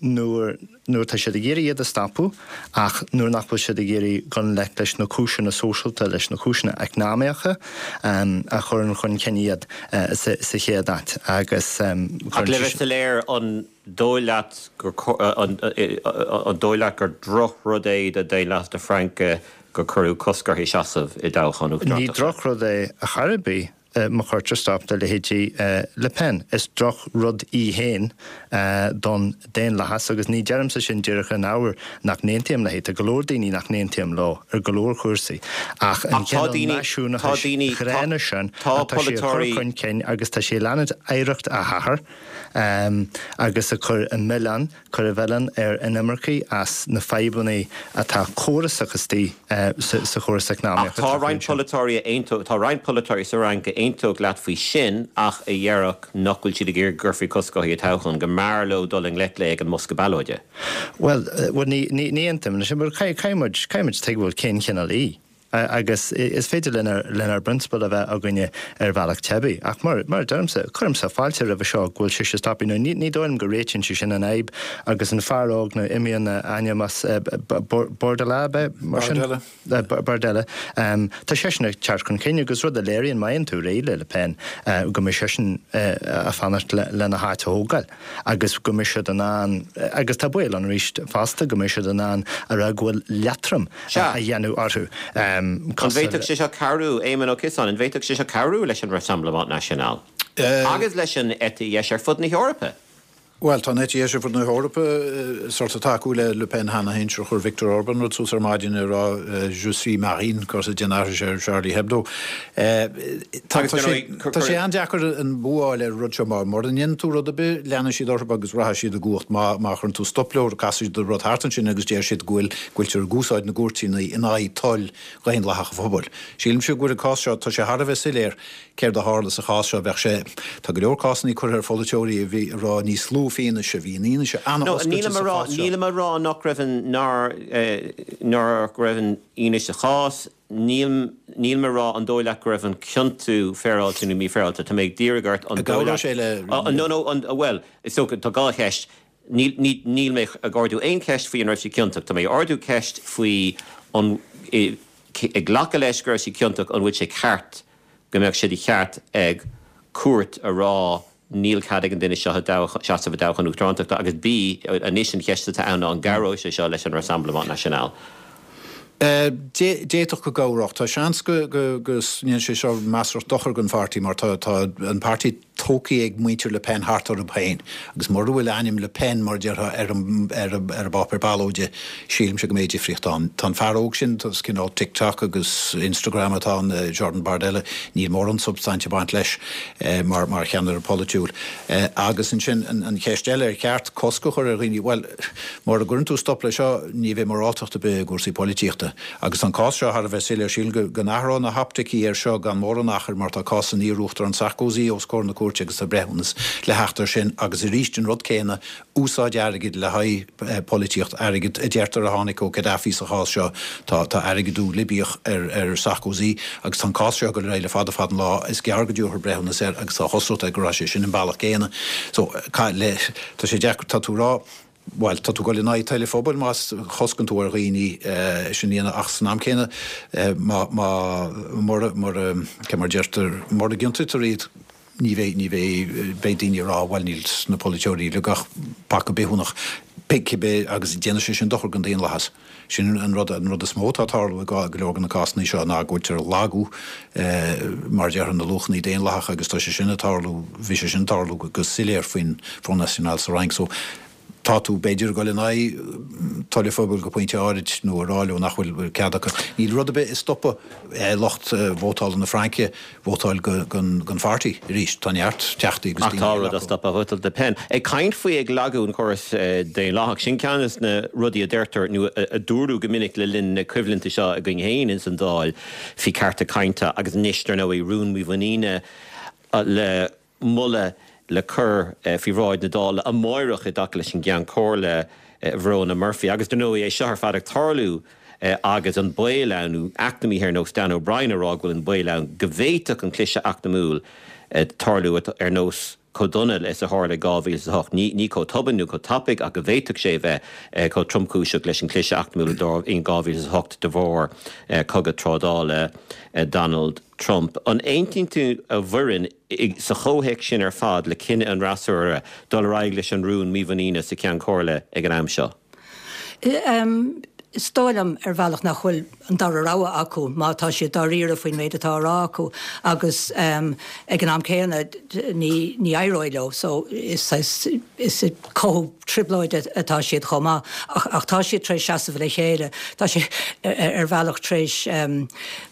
nuair, nuair atá siad ag iarraidh iad a stopadh ach nuair nach bhfuil siad ag iarraidh dul i ngleic leis na cúiseanna sóisialta, leis na cúiseanna eacnamaíocha a chuireann chun cinn iad sa chéad áit agus Ach le bheith soiléir, an dóigh leat gur an dóigh leat gur drochrud é do dhaonlathas na Fraince gur cuireadh cosc uirthi seasamh i dtoghchán uachtaránachta? Ní drochrud é ar chor ar bith. Má chuirtear stop le leithéidí Le Pen, is drochrud í féin don daonlathas agus ní deirimse sin díreach in ábhar nach n-aontaím léi, tá go leor daoine nach n-aontaím leo ar go leor cúrsaí, ach an cineál náisiúnachais ghránna sin atá sí a chur chun cinn agus tá sí ag leanúint oidhreacht a hathar agus ag cur an milleán cur an mhilleáin ar inimircigh as na fadhbanna atá córasach istigh sa chóras eacnamaíoch Ach tá roinnt polaiteoirí a aontódh, tá roinnt polaiteoirí sa Fhrainc a aontódh leat faoi sin ach a dhéarfadh nach bhfuil siad ag iarraidh go gcuirfí cosc uirthi i dtoghchán, go mb'fhearr leo dul i ngleic léi ag an mbosca ballóide. Bhuel, bhuel ní, ní, ní aontaím leis sin, mar caithfidh muid, caithfidh muid tuigbheáil cén chineál í. Agus is féidir lenár bprionsabail a bheith againne ar bhealach teibí. Ach mar a deirimse, cuirimse fáilte roimhe seo go bhfuil sise stoptha. Nó ní dóigh liom go réitíonn sé sin an fhadhb agus an fear óg, nó imíonn a ainm as, Bordella, ab ea? Mar sin? Bardella. Bardella. Tá seisean ag teacht chun cinn agus rud a léiríonn, má fhaigheann tú réidh le Le Pen, go mbeidh seisean ag fanacht lena háit a thógáil agus go mbeidh siad in ann, agus tá baol ann arís fosta, go mbeidh siad in ann a rá go bhfuil leatrom Sea. a dhéanamh orthu. An bhféadfadh sé seo cabhrú, Éamon Ó Ciosáin, an bhféadfadh sé seo cabhrú leis an Rassemblement National agus leis an eite dheis ar fud na hEorpa? Bhuel, tá an eite dheis ar fud na hEorpa sort of tacú le Le Pen cheana féin, sure chuir Viktor Orban rud suas ar maidin ag rá Je suis Marine, cos ag déanamh aithris ar Charlie Hebdo. Tá sé an-deacair an bua a fháil ar an rud seo mar mura ndéanann tú rud ar bith, leanfaidh siad orthu agus rachaidh siad i gcumhacht. Má chuireann tú stop leo, casfaidh siad an rud thart ansin agus déarfaidh siad go bhfuil go bhfuiltear ag úsáid na gcúirteanna in aghaidh toil dhaonlathach an phobail. Sílimse go bhfuil an cás seo, tá sé thar a bheith soiléir céard a tharla sa chás seo. Bheadh sé, tá go leor cásanna curtha ar pholaiteoirí a bhí ag rá níos lú fianaise, bhí an fhianaise an-oscailte sa chás seo. Nílim a rá nach raibh an, nár, nach raibh an fhianaise sa chás, níl, nílim a rá an dóigh leat go raibh an ciontú féaráilte nó mífhéaráilte, tá mé ag d'iarraidh ort an dóigh leat, An gcabhródh sé le. No, no, an, bhuel, is dócha, tá dhá cheist. Níl, ní, níl mé ag ardú aon cheist faoi an raibh sí ciontach. Tá mé ag ardú ceist faoi an, ag glacadh leis go raibh sí ciontach, an bhfuil sé ceart go mbeadh sé de cheart ag cúirt a rá níl cead ag an duine seo seasamh i dtoghchán uachtarántachta agus B, anois an cheist atá ann ná an gcabhróidh sé seo leis an Rassemblement National? D'fhéadfadh go gcabhródh. Tá seans go ndéanfaidh sé seo measartha dochar don pháirtí mar tá an páirtí tógtha ag muintir Le Pen thart orthu féin agus mura bhfuil ainm Le Pen, mar a déarfá, ar an bpáipéar ballóide, sílimse go mbeidh difríocht ann. Tá an fear óg sin, is cineál TikTok agus Instagram atá ann, Jordan Bardella, níl mórán substainte ag baint leis mar cheannaire polaitiúil. Agus ansin an cheist eile, ar cheart cosc a chur ar dhaoine? Bhuel, mura gcuireann tú stop leis seo, ní bheidh moráltacht ar bith i gcúrsaí polaitíochta. Agus tá an cás seo thar a bheith soiléir. Sílim go n-athródh na hoptaicí air seo gan mórán achair mar tá cás an iar-Uachtaráin Sarkozy os comhair na cúirte agus tá breithiúnas le theacht air sin agus arís an rud céanna, úsáid airgid le haghaidh polaitíocht, airgead a deirtear a tháinig ó Gaddafi sa chás seo. Tá tá airgeadú Libiach ar ar Sarkozy agus tá an cás seo ag dul ar aghaidh le fada fada an lá. Is gearr go dtabharfar breithiúnas air agus tá chosúlacht air go raibh sé sin an bealach céanna. So, le, tá sé deacair, tá tú ag rá, Bhuel, tá tú ag dul in aghaidh toil an phobail má choscann tú ar dhaoine é sin a dhéanamh ach san am céanna má, má, mura, mura, cé mar a deirtear, mura gciontaítear iad ní bheidh, ní bheidh, beidh daoine ag rá bhuel níl na polaiteoirí uilig ach paca bithiúnach. Cibé agus déanann sé sin dochar don daonlathas. Sin an rud an rud is mó atá ag tarlú i go leor de na cásanna seo ná go bhfuiltear ag lagú mar a déarfá na luachanna daonlathacha agus tá sé sin ag tarlú, bhí sé sin ag tarlú go soiléir faoin Front National sa Fhrainc. So tá tú b'fhéidir ag dul in aghaidh toil an phobail go pointe áirid nó a rá leo nach bhfuil cead acu. Níl rud ar bith ag stopadh lucht vótála na Fraince vótáil don pháirtí arís. Tá neart teachtaí agus daoine. Ach tá rud ag stopadh vótáil Le Pen. Ag caint faoi ag lagú an chóras daonlathach, sin ceann de na rudaí a deirtear nó a dúradh go minic le linn na coimhlinte seo againn féin ins an Dáil faoi cearta cainte agus anois dar ndóigh rún mímhuiníne le moladh le cur faoi bhráid na Dála amáireach i dtaca leis an gCeann Comhairle Verona Murphy. Agus dar ndóigh é seo ar fad ag tarlú agus an baol ann, nó eacnamaithe ar nós Dan O'Brien ag rá go bhfuil an baol ann go bhféadfadh an cliseadh eacnamúil tarlú ar nós chomh dona is a tharla i dhá mhíle is a hocht. Ní chomh tobann nó chomh tapaidh ach go bhféadfadh sé a bheith chomh tromchúiseach leis an chliseadh eacnamúil in dhá mhíle is a hocht de bharr cogadh trádála Donald Trump. An aontaíonn tú, a Mhuireann, sa chomhthéacs sin ar fad le cinneadh an fhreasúra dul ar aghaidh leis an rún mímhuiníne sa Cheann Comhairle ag an am seo? Is dóigh liom ar bhealach nach bhfuil an dara rogha acu má tá siad dáiríre faoin méid atá á rá acu agus ag an am céanna ní ní éireoidh leo so is is ag cothú trioblóide atá siad chomh maith ach ach tá siad tar éis seasamh le chéile. Tá siad ar bhealach tar éis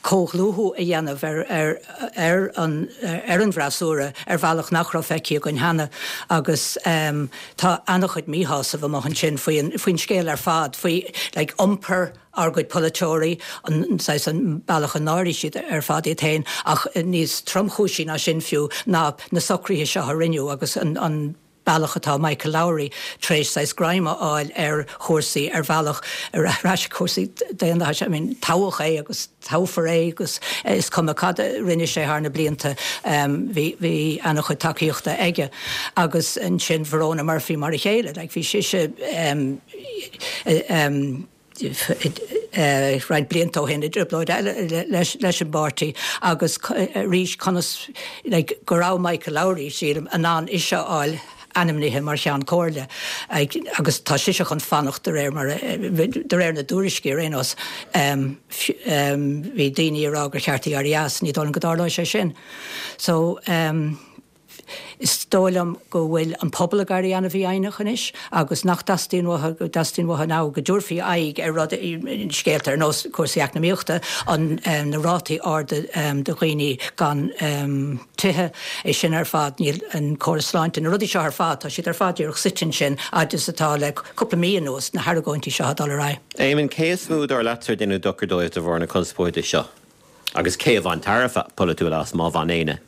comhdhlúthú a dhéanamh ar ar ar an ar an bhfreasúra ar bhealach nach raibh feicthe againn cheana agus tá an-chuid míshásaimh amuigh ansin faoin faoin scéal ar fad, faoi like iompar ár gcuid polaiteoirí, an saghas an bealach a náirigh siad ar fad iad féin, ach níos tromchúisí ná sin fiú ná na socruithe seo a rinneadh agus an an bealach atá Michael Lowry tar éis saghas greim a fháil ar chúrsaí ar bhealach ar ais cúrsaí daonlathais, I mean toghadh é agus toghfar é agus is cuma cad a rinne sé thar na blianta bhí bhí an-chuid tacaíochta aige agus ansin Verona Murphy mar a chéile, like bhí sise roinnt blianta ó shin i dtrioblóid eile leis leis an bpáirtí agus arís conas like go raibh Michael Lowry sílim in ann ise a fháil ainmnithe mar Cheann Comhairle agus tá sise chun fanacht de réir mar de réir na dtuairiscí ar aon nós. Bhí daoine ag rá gur cheart di éirí as, ní dóigh liom go dtarlóidh sé sin. So is dóigh liom go bhfuil an pobal ag éirí an-mhífhoighneach anois agus nach dteastaíonn uathu, go dteastaíonn uathu now go dtabharfaí aghaidh ar rudaí, scéalta ar nós cúrsaí eacnamaíochta, an na rátaí arda de dhaoine gan tithe, é sin ar fad, níl an córas sláinte, na rudaí seo ar fad, tá siad ar fad díreach suite ansin fhad is atá le cúpla mí anuas, na hargóintí seo ag dul ar aghaidh. Éamonn, cé is mó dar leatsa ar deineadh dochar dóibh de bharr na conspóide seo? Agus cé a bhain tairbhe polaitiúil as, má bhain éinne?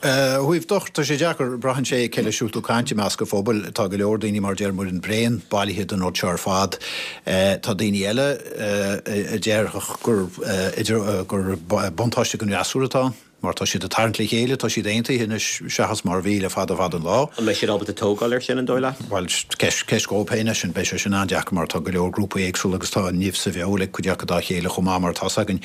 Ó thaobh dochar, tá sé deacair, braitheann sé cé leis a bhfuil tú ag caint i measc an phobail. Tá go leor daoine, mar a deir Muireann, bréan bailithe den rud seo ar fad. Tá daoine eile a déarfadh gur gur buntáiste don fhreasúra atá ann, mar tá siad ag tarraingt le chéile, tá siad aontaithe anois seachas mar a bhí le fada fada an lá. An mbeidh siad ábalta tógáil air sin, an dóigh leat? Bhuel, ceist dóibh féin é sin. Beidh sé sin an-deacair mar tá go leor grúpaí éagsúla agus tá nimh sa bhfeoil ag cuid acu dá chéile chomh maith, mar atá's againn.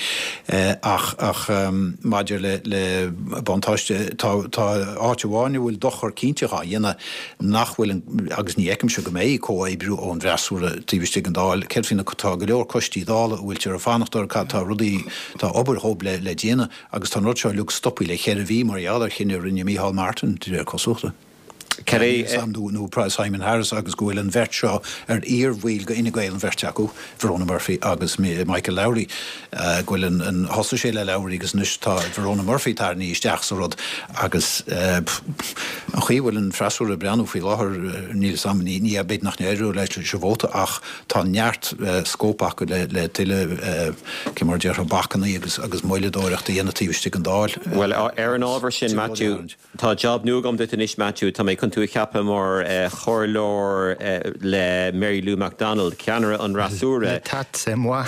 Ach ach maidir le le buntáiste, tá tá áit amháin a bhfuil dochar cinnte dhá dhéanamh nach bhfuil an, agus ní fheicimse go mbeidh, comhoibriú ón bhfreasúra taobh istigh den Dáil. Céard faoi na, tá go leor coistí Dála a bhfuiltear ag fanacht orthu, cad tá rudaí, tá obair dhóibh le le déanamh agus tá an rud seo uilig stoptha le ceithre mhí mar gheall ar chinneadh a rinne Micheál Martin, de réir cosúlachta. Cad é. nó Simon Harris agus go bhfuil an bheirt seo ar iar-bhaill de Fhine Gael, an bheirt acu, Verona Murphy agus Michael Lowry, go bhfuil an, thosaigh sé le Lowry agus anois tá Verona Murphy tarraingthe isteach sa rud agus an chaoi a bhfuil an freasúra ag breathnú faoi láthair, níl 'fhios a'm, ní, ní, b'fhéidir nach n-éireoidh leis an vóta ach tá neart scóip acu le, le tuilleadh, cé mar a déarfá, bacanna agus, agus moilleadóireacht a dhéanamh taobh istigh den Dáil. Bhuel, ar an ábhar sin, Matthew. Tá jab nua agam duit anois, Matthew. Tá mé chun tú a cheapadh mar chomhairleoir le Mary Lou McDonald, ceannaire an fhreasúra. Le tat, c'est moi.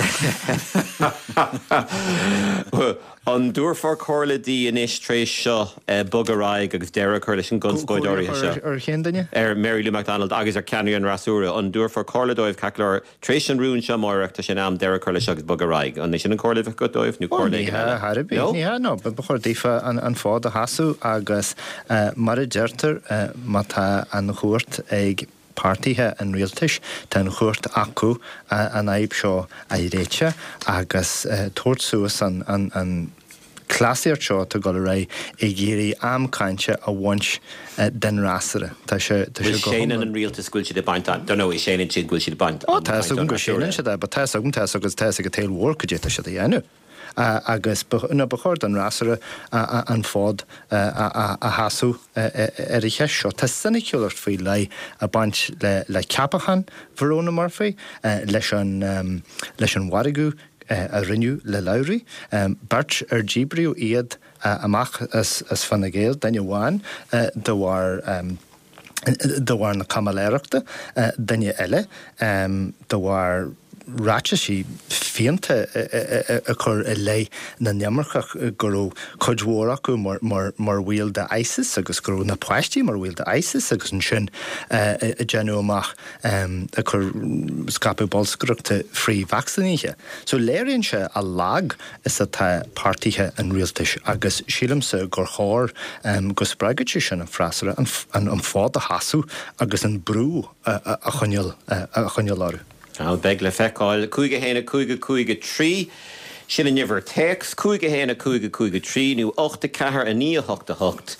An dtabharfá comhairle di anois tar éis seo bogadh ar aghaidh agus deireadh a chur leis an gconspóid áirithe seo? Ar cén duine? Ar Mary Lou McDonald agus ar ceannaire an fhreasúra. An dtabharfá comhairle dóibh, ceart go leor, Tar éis an rúin seo amáireach, tá sé in am deireadh a chur leis agus bogadh ar aghaidh. An é sin an comhairle a bheadh agat dóibh, nó comhairle éigin eile? Ní hea, thar ar bith. No? Ní hea, no. Ba chóir daofa an fód a sheasamh agus mar a deirtear, má tá an chúirt ag páirtithe an rialtais, tá an chumhacht acu an fhadhb seo a réiteach agus tabhairt suas an an cleasaíocht seo atá ag dul ar aghaidh ag iarraidh am cainte a bhaint den fhreasúra. Tá sé go hiomlán. Séanann an rialtas go bhfuil siad ag baint an, dar ndóigh, séanann siad go bhfuil siad ag baint Ó, tá a fhios agam go séanann siad é, but tá a fhios agam, tá a fhios agus tá a fhios ag an tsaol mhór cad é atá siad a dhéanamh. Agus ba chóir don fhreasúra an fód a sheasamh ar an cheist seo. Tá soiniciúlacht faoi leith ag baint le ceapachán Verona Murphy, leis an mhargadh a rinneadh le Lowry, beirt ar díbríodh iad amach as Fine Gael, duine amháin de bharr de bharr na caimiléireachta, duine eile de bharr ráitisí fiánta a chur i leith na n-imirceach, go raibh cuid mhór acu mar bhaill de ISIS agus go raibh na páistí mar bhaill de ISIS agus ansin ag déanamh amach ag cur scaipeadh bolscaireachta frith-vacsaínithe. So léiríonn sé a lag is atá páirtithe an rialtais agus sílimse gur chóir go spreagfadh sé sin an freasúra an fód a sheasamh agus an brú a choinneáil orthu. Bhuel, beidh le feiceáil. Cúig a haon a cúig a cúig a trí, sin an uimhir téacs, cúig a haon a cúig a cúig a trí nó ocht a ceathair a naoi a hocht a hocht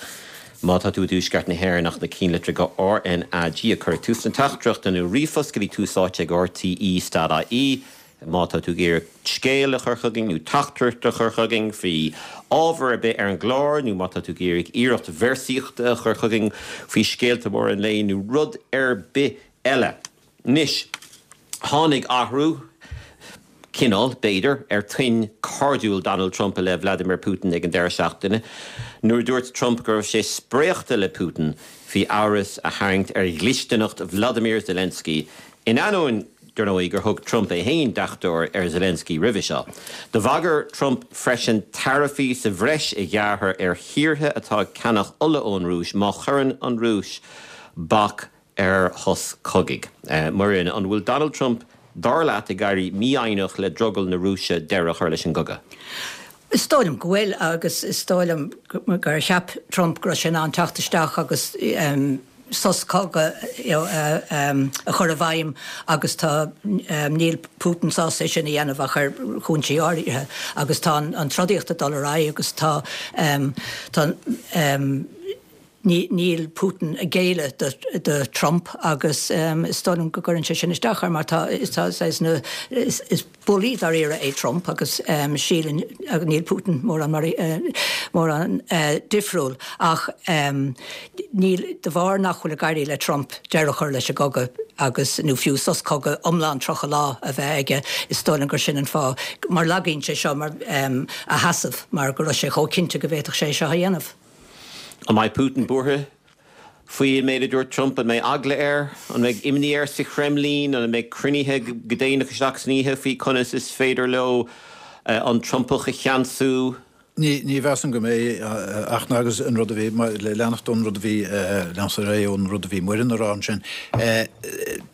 má tá tú i dTuaisceart na hÉireann ach na cinnlitreacha R N A G a chur ag tús na teachtaireachta nó ríomhphost go dtí Tús Áite ag R T E dot I E má tá tú ag iarraidh scéal a chur chugainn nó teachtaireacht a chur chugainn faoi ábhar ar bith ar an gclár nó má tá tú ag iarraidh iarracht véarsaíochta a chur chugainn faoi scéalta móra an lae nó rud ar bith eile. Anois, tháinig athrú, cineál, b'fhéidir, ar tuin cairdiúil Donald Trump i leith Vladimir Putin ag an deireadh seachtaine, nuair a dúirt Trump go raibh sé spréachta le Putin faoi amhras a tharraingt ar dhlisteanacht Vladimir Zelensky, in ainneoin, dar ndóigh, gur thug Trump é féin deachtóir ar Zelensky roimhe seo. Do bhagair Trump freisin taraifí sa bhreis a ghearradh ar thíortha atá ag ceannach ola ón Rúis má chuireann an Rúis bac ar shos cogaidh. Muireann, an bhfuil Donald Trump, dar leat, ag éirí mífhoighneach le drogall na Rúise deireadh a chur leis an gcogadh? Is dóigh liom go bhfuil, agus is dóigh liom gur cheap Trump go raibh sé in ann teacht isteach agus sos cogaidh a chur i bhfeidhm agus tá, níl Putin sásta é sin a dhéanamh ach ar chúinsí áirithe agus tá an trodaíocht ag dul ar aghaidh agus tá, tá, Níl Putin ag géilleadh do Trump agus is dóigh liom go gcuireann sé sin isteach air mar tá saghas na is bullaí dáiríre é Trump agus síleann níl Putin mórán mórán difriúil ach níl de bharr nach bhfuil ag éirí le Trump deireadh a chur leis an gcogadh agus nó fiú sos cogaidh iomlán tríocha lá a bheith aige is dóigh liom gur sin an fáth mar lagaíonn sé seo mar a sheasamh mar go raibh sé chomh cinnte go bhféadfadh sé seo a dhéanamh. An mbeidh Putin buartha faoin méid a dúirt Trump? An mbeidh eagla air? An mbeidh imní air sa Chreimlín? An mbeidh cruinnithe go déanach isteach san oíche faoi conas is féidir leo an Trumpach a cheansú? Ní mheasaim go mbeidh ach agus an rud a bhí, le leanacht ón rud a bhí, leanacht ar aghaidh ón rud a bhí Muireann a rá ansin,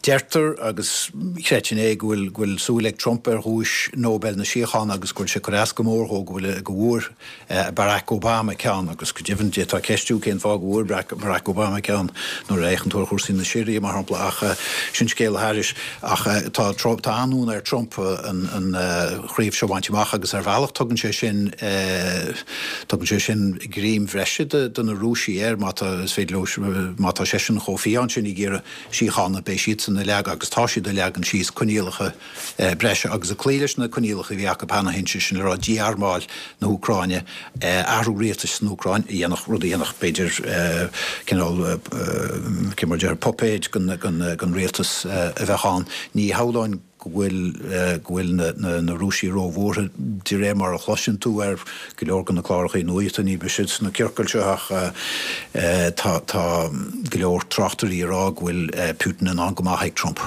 deirtear agus chreidfinn é go bhfuil, go bhfuil súil ag Trump ar dhuais Nobel na síochána agus go bhfuil sé ag cur as go mór dhó go bhfuil, go bhfuair Barack Obama ceann agus go deimhin d'fhéadfá ceistiú cén fáth go bhfuair Barack Obama ceann nuair a fhéachann tú ar chúrsaí na Siria mar shampla ach sin scéal thairis. Ach tá tá an-fhonn ar Trump an chraobh seo a bhaint amach agus ar bhealach tugann sé sin tugann sé sin greim bhreise do na Rúisigh air má tá is féidir leo má tá seisean chomh fiáin sin ag iarraidh síochána beidh siadsan ag leagan agus tá siad ag leagan síos coinníollacha breise agus ag cloí leis na coinníollacha a bhí acu cheana féin, sé sin le rá dí-armáil na hÚcráine, athrú rialtais san Úcráin a dhéanfadh, rud a dhéanfadh b'fhéidir cineál, cé mar a déarfá, puipéid den rialtas a bheadh ann. Ní shamhlóinn go bhfuil go bhfuil na Rúisigh róbhuartha de réir mar a chloiseann tú ar go leor de na cláracha nuachta, ní mise sna ciorcail seo ach tá tá go leor tráchtairí ag rá go bhfuil Putin in ann go maith ag Trump.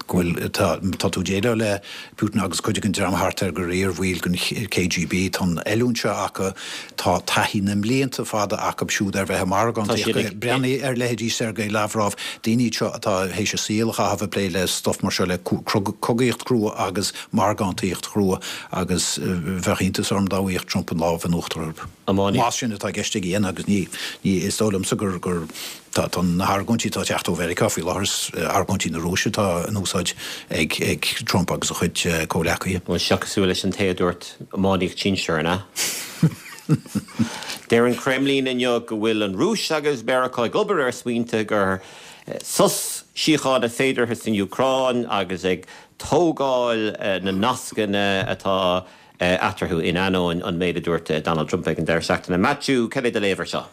go bhfuil, tá, tá tú ag déileáil le Putin agus cuid den dream thart air gur iar-bhaill den K G B, tá an oiliúint seo acu, tá taithí na mblianta fada acu siúd ar bheith ag margántaíocht. Breathnaigh ar leithéidí Sergei Lavrov, daoine iad seo atá théis a saol a chaitheamh ag plé le stuff mar seo, le cogaíocht chrua agus margántaíocht chrua agus bheadh iontas orm dá bhfaigheadh Trump an lámh in uachtar orthu. Más sin atá i gceist aige a dhéanamh agus ní, ní, is dóigh liomsa gur, gur. Tá tá na hargóintí atá ag teacht ó Mheiriceá faoi láthair, is argóintí na Rúise atá in úsáid ag ag Trump agus a chuid comhghleacaithe. Bhuel, seo cosúil leis an té a dúirt iománaíocht sinsir, an ea? Deir an Kremlin inniu go bhfuil an Rúis agus Meiriceá ag obair ar smaointe gur sos síochána féideartha san Úcráin agus ag tógáil na nascanna atá eatarthu in ainneoin an méid a dúirt Donald Trump ag an deireadh seachtaine. Maitiú, cad é do léamh air seo?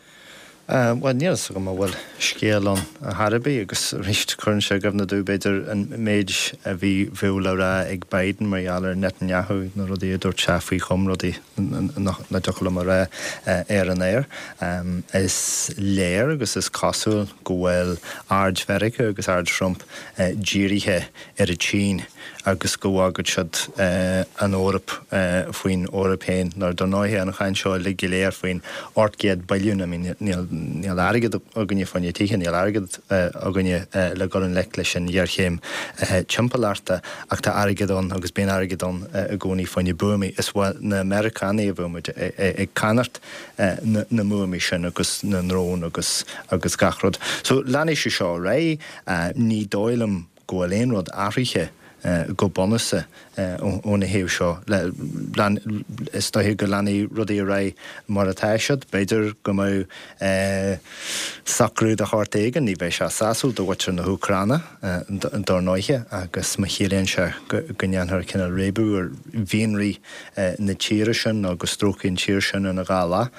Bhuel, níl a fhios agam an bhfuil scéal ann ar chor ar bith agus arís cuireann sé i gcuimhne domh b'fhéidir an méid a bhí bheadh le rá ag Biden mar gheall ar Netanyahu, na rudaí a dúirt sé faoi chom, rudaí nach dtiocfadh liom a rá ar an aer. Is léir agus is cosúil go bhfuil aird Mheiriceá agus aird Trump dírithe ar an tSín agus go bhfágfaidh siad an Eoraip faoin Eoraip féin. Nó dar ndóighe an chaint seo uilig go léir faoin ocht gcéad billiún, I mean níl níl airgead againne fá choinne tithe, níl airgead againne le dul i ngleic leis an ghéarchéim timpeallachta ach tá airgead ann agus bíonn airgead ann i gcónaí fá choinne buamaí. Is ó na Meiriceánaigh a bheidh muid ag ceannacht na mbuamaí sin agus na ndrón agus agus gach rud. So leanfaidh sé seo ar aghaidh. Ní dóigh liom go bhfuil aon rud athraithe go bunúsach óna thaobh seo. Is dóiche go leanfaidh rudaí ar aghaidh mar atá siad. B'fhéidir go mbeidh socrú de shórt éigin, ní bheidh sé sásúil do mhuintir na hÚcráine, dar ndóiche, agus má chiallaíonn sé go ndéanfar cineál réabadh ar mhianraí na tíre sin nó go stróicfí an tír sin ina dhá leath,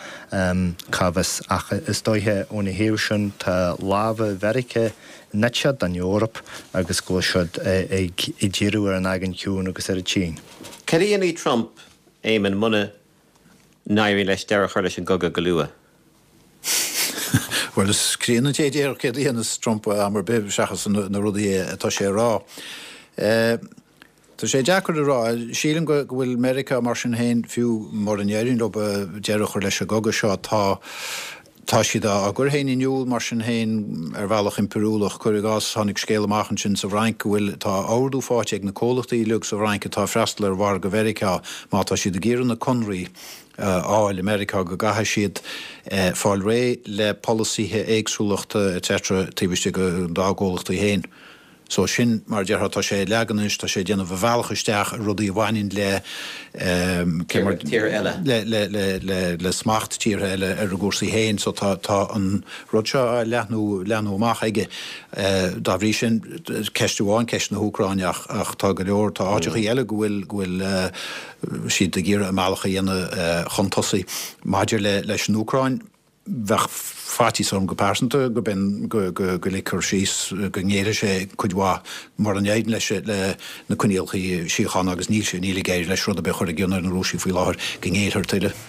cá bhfios. Ach is dóiche óna thaobh sin tá lámha Mheiriceá nite den Eoraip agus go bhfuil siad ag díriú ar an Aigéan Ciúin agus ar an tSín. Cad a dhéanfaidh Trump, Éamonn, muna n-éiríonn leis deireadh a chur leis an gcogadh go luath? Bhuel, is críonna an té a déarfadh céard a dhéanfas Trump am ar bith seachas na rudaí atá sé a rá. Tá sé deacair a rá. Sílim go bhfuil Meiriceá mar sin féin, fiú mura n-éiríonn leo deireadh a chur leis an gcogadh seo, tá Tá siad á gcur féin in iúl mar sin féin ar bhealach impiriúlach. Cuir i gcás, tháinig scéal amach ansin sa bhFrainc go bhfuil, tá ordú faighte ag na comhlachtaí uilig sa bhFrainc atá ag freastal ar mhargadh Mheiriceá, má tá siad ag iarraidh na conraí a fháil i Meiriceá go gcaithfidh siad fáil réidh le polasaithe éagsúlachta etc. taobh istigh dá gcomhlachtaí féin. So sin, mar a déarfá, tá sé ag leagan anois, tá sé ag déanamh a bhealach isteach i rudaí a bhaineann le, cé mar, Tíortha eile. le, le, le, le, le smacht tíortha eile ar a gcúrsaí féin. So tá, tá an rud seo á leathnú, leathnú amach aige. Dá bhrí sin, ceist amháin ceist na hÚcráine ach, ach tá go leor, tá áiteachaí eile go bhfuil, go bhfuil siad ag iarraidh a mbealach a dhéanamh chun tosaigh. Maidir le, leis an Úcráin, Bheadh faitíos orm go pearsanta go b'in go go ligfear síos, go ngéillfidh sé cuid mhaith mura n-éiríonn leis le na coinníollacha síochána agus níl sé, níl ag éirí leis rud ar bith a chur i gcion ar na Rúisigh faoi láthair, go ngéillfear tuilleadh.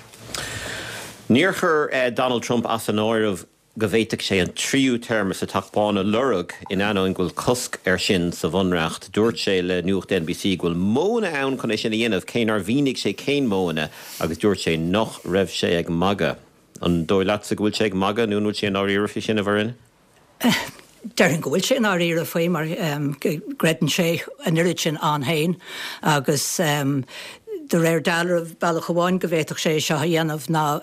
Níor chuir Donald Trump as an áireamh go bhféadfadh sé an tríú téarma sa Teach Bán a lorg in ainneoin go bhfuil cosc air sin sa Bhunreacht. Dúirt sé le Nuacht NBC go bhfuil modhanna ann chun é sin a dhéanamh, cé nár mhínigh sé cén modhanna, agus dúirt sé nach raibh sé ag magadh. An dóigh leatsa go bhfuil sé ag magadh nó an bhfuil sé i ndáiríre faoi sin, a Mhuireann? Déarfainn go bhfuil sé i ndáiríre faoi mar go gcreideann sé an oiread sin ann féin agus de réir dealraimh bealach amháin go bhféadfadh sé é seo a dhéanamh ná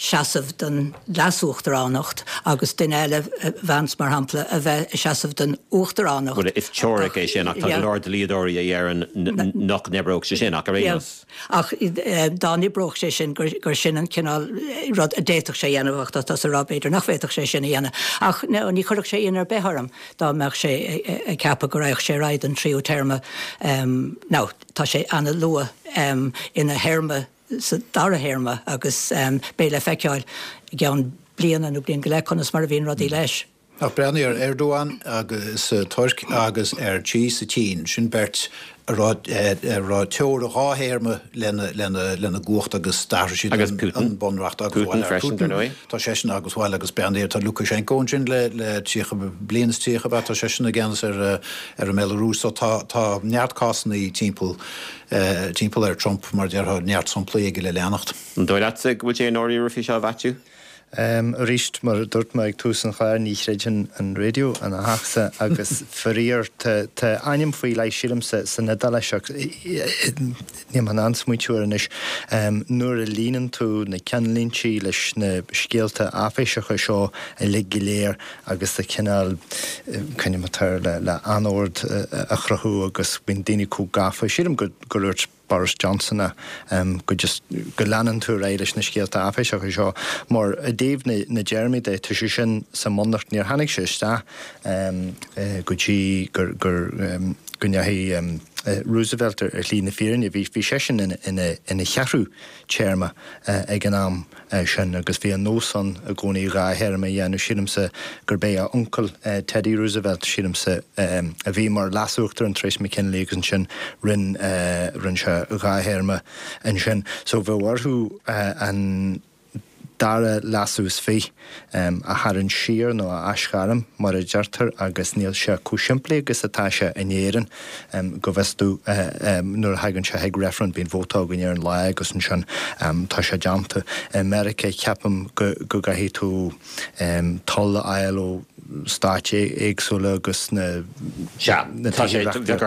seasamh don leas-uachtaránacht agus duine eile, Vance mar shampla, a bheith ag seasamh don uachtaránacht. Bhuel, is teoiric é sin ach tá go leor dlíodóirí a deireann nach n-oibreodh sé sin ach ar aon nós. Ach dá n-oibreodh sé sin, gur sin an cineál rud a d'fhéadfadh sé a dhéanamh, ach tá tusa ag rá b'fhéidir nach bhféadfadh sé sin a dhéanamh. Ach ní chuirfeadh sé ionadh ar bith orm dá mbeadh sé ag ceapadh go raghadh sé ar aghaidh don tríú téarma. Now, tá sé an-luath ina théarma, sa dara théarma, agus beidh le feiceáil i gceann bliana nó bliain go leith conas mar a bhíonn rudaí leis. Ach breathnaigh ar Erdogan agus sa Tuirc agus ar Xi sa tSín, sin beirt a raibh a raibh teora dhá théarma lena lena lena gcumhacht agus d'athraigh siad Agus an Putin. an bunreacht agus Putin bhuel ar freisin, dar Putin ndóigh. tá seisean agus bhuel agus breathnaigh ar tá Lukashenko ansin le le tríocha bliain is tríocha ab ea tá seisean i gceannas ar ar an mBealarúis so tá tá neart cásanna timpeall timpeall ar Trump mar a déarfá neart samplaí aige le leanacht. An dóigh leatsa go bhfuil sé i ndáiríre faoi seo, a Mhaitiú? Arís, mar a dúirt mé ag tús an chláir, ní chreideann an raidió ina theachsa agus faraor tá ainm faoi leith, sílim, san Iodáilis ach níl mé in ann smaointiú air anois, nuair a líonann tú na ceannlíntí leis na scéalta áiféiseacha seo uilig go léir agus tá cineál, cineál atá le anord a chruthú agus bíonn daoine chomh gafa, sílim go dúirt Boris Johnson é, go just, go leanann tú ar aghaidh leis na scéalta áiféiseacha seo mar i dtaobh na na dtéarmaí de, tá sé sin sa mbunreacht, níor tháinig sé isteach go dtí gur gur go ndeachaigh Roosevelt ar shlí na fírinne, bhí bhí seisean ina ina ina cheathrú téarma ag an am sin agus bhí an nós ann i gcónaí dhá théarma a dhéanamh, sílimse gurb é a uncail Teddy Roosevelt, sílimse, a bhí mar leas-uachtarán tar éis McKinley agus ansin rinn rinn sé dhá théarma ansin. So bheadh orthu an dara leasú is fiche a tharraingt siar nó a aisghairm mar a deirtear agus níl sé chomh simplí agus atá sé in Éirinn go bhfios domh nuair a thagann sé chuig reifreann bíonn vóta againn ar an lá agus ansin tá sé déanta. I Meiriceá ceapaim go gcaithfidh tú toil a fháil ó stáit éagsúla agus na Sea, tá sé, bheadh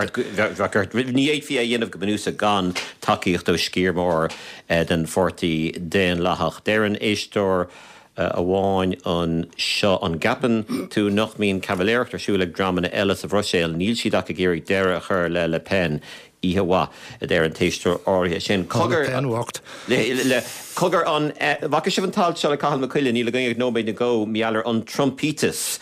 ort, ní fhéadfaí é a dhéanamh go bunúsach gan tacaíocht ó sciar mór den Pháirtí Daonlathach. Deireann éisteoir amháin anseo, an gceapann tú nach mbíonn caimiléireacht ar siúl ag dreamanna eile sa Bhruiséil? Níl siad ach ag iarraidh deireadh a chur le Le Pen. Oíche mhaith, a deir an t-éisteoir áirithe sin. Cogar, Le Pen bhocht. Le, cogar, an bhfaca sibh an t-alt seo le Cathal Mac Coille, níl againn ach nóiméad nó dhó, mar gheall ar an Trumpíteas,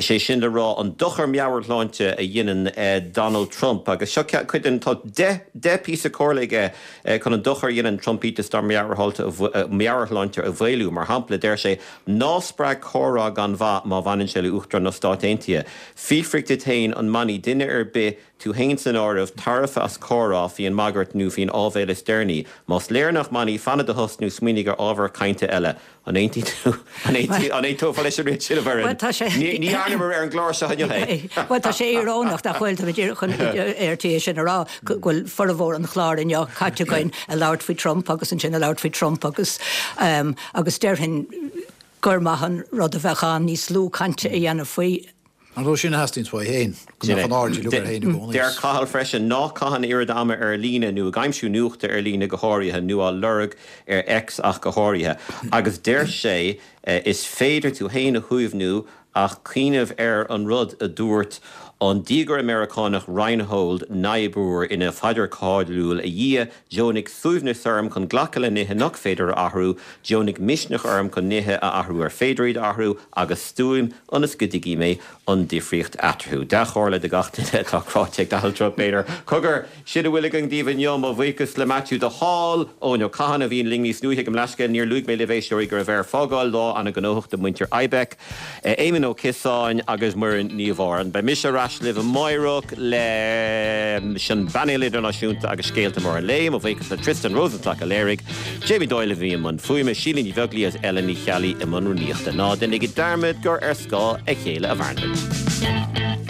sé sin le rá an dochar meabhairshláinte a dhéanann Donald Trump. Agus seo cuid den, tá deich, deich píosa comhairle aige chun an dochar a dhéanann Trumpíteas dár meabhairshláinte a mhaolú. Mar shampla, deir sé, ná spreag comhrá gan mhaith má bhaineann sé le Uachtarán na Stát Aontaithe. Fiafraigh díot féin an mbainfidh duine ar bith, tú féin san áireamh, tairbhe as comhrá faoin mbagairt nó faoin áibhéil is deireanaí. Más léir nach mbainfidh, fan i do thost nó smaoinigh ar ábhar cainte eile. An aontaíonn tú? An aontófá leis an méid sin, a Mhuireann? Bhuel, tá sé. Ní dhearnamar ar an gclár seo inniu é. Bhuel, tá sé íorónach, nach bhfuil? Táimid díreach chun ar tí é sin a rá, go bhfuil formhór an chláir inniu caite againn ag labhairt faoi Trump agus ansin ag labhairt faoi Trump agus agus déarfainn gur maith an rud a bheadh ann níos lú cainte a dhéanamh faoi. Ar ndóigh, sin a theastaíonns uaidh féin, go mbeadh an aird uilig air féin i gcónaí. Deir Cathal freisin, Ná caith an oiread ama ar líne, nó ag aimsiú nuachta ar líne go háirithe, nó á lorg ar X ach go háirithe. Agus deir sé, Is féidir tú féin a shuaimhniú ach cuimhneamh ar an rud a dúirt an diagaire Meiriceánach Reinhold Niebuhr ina phaidir cáiliúil, 'A Dhia, deonaigh suaimhneas orm chun glacadh le nithe nach féidir a athrú, deonaigh misneach orm chun nithe a athrú ar féidir iad a athrú, agus stuaim ionas go dtuigfidh mé an difríocht eatarthu. Dea-chomhairle do gach duine atá cráite ag Donald Trump, b'fhéidir. Cogar, sin a bhfuil againn daoibh inniu. Mo bhuíochas le Maitiú de Hál, Eoin Ó Catháin a bhí linn níos luaithe. Gabh mo leithscéal, níor luaigh mé libh, éisteoirí, go raibh air fágáil. Lá an-ghnóthach do mhuintir IBEC. Éamon Ó Ciosáin agus Muireann Ní Mhóráin. Beidh mise ar ais libh amáireach leis an bpainéal idirnáisiúnta agus scéalta móra an lae. Mo bhuíochas le Tristan Rosenstock a léirigh, Jamie Doyle a bhí i mbun fuaime, Síle Ní Bheaglaoí agus Ellen Ní Cheallaigh i mbun rúnaíochta. Ná déanaigí dearmad gur ar scáth a chéile a mhaireann muid.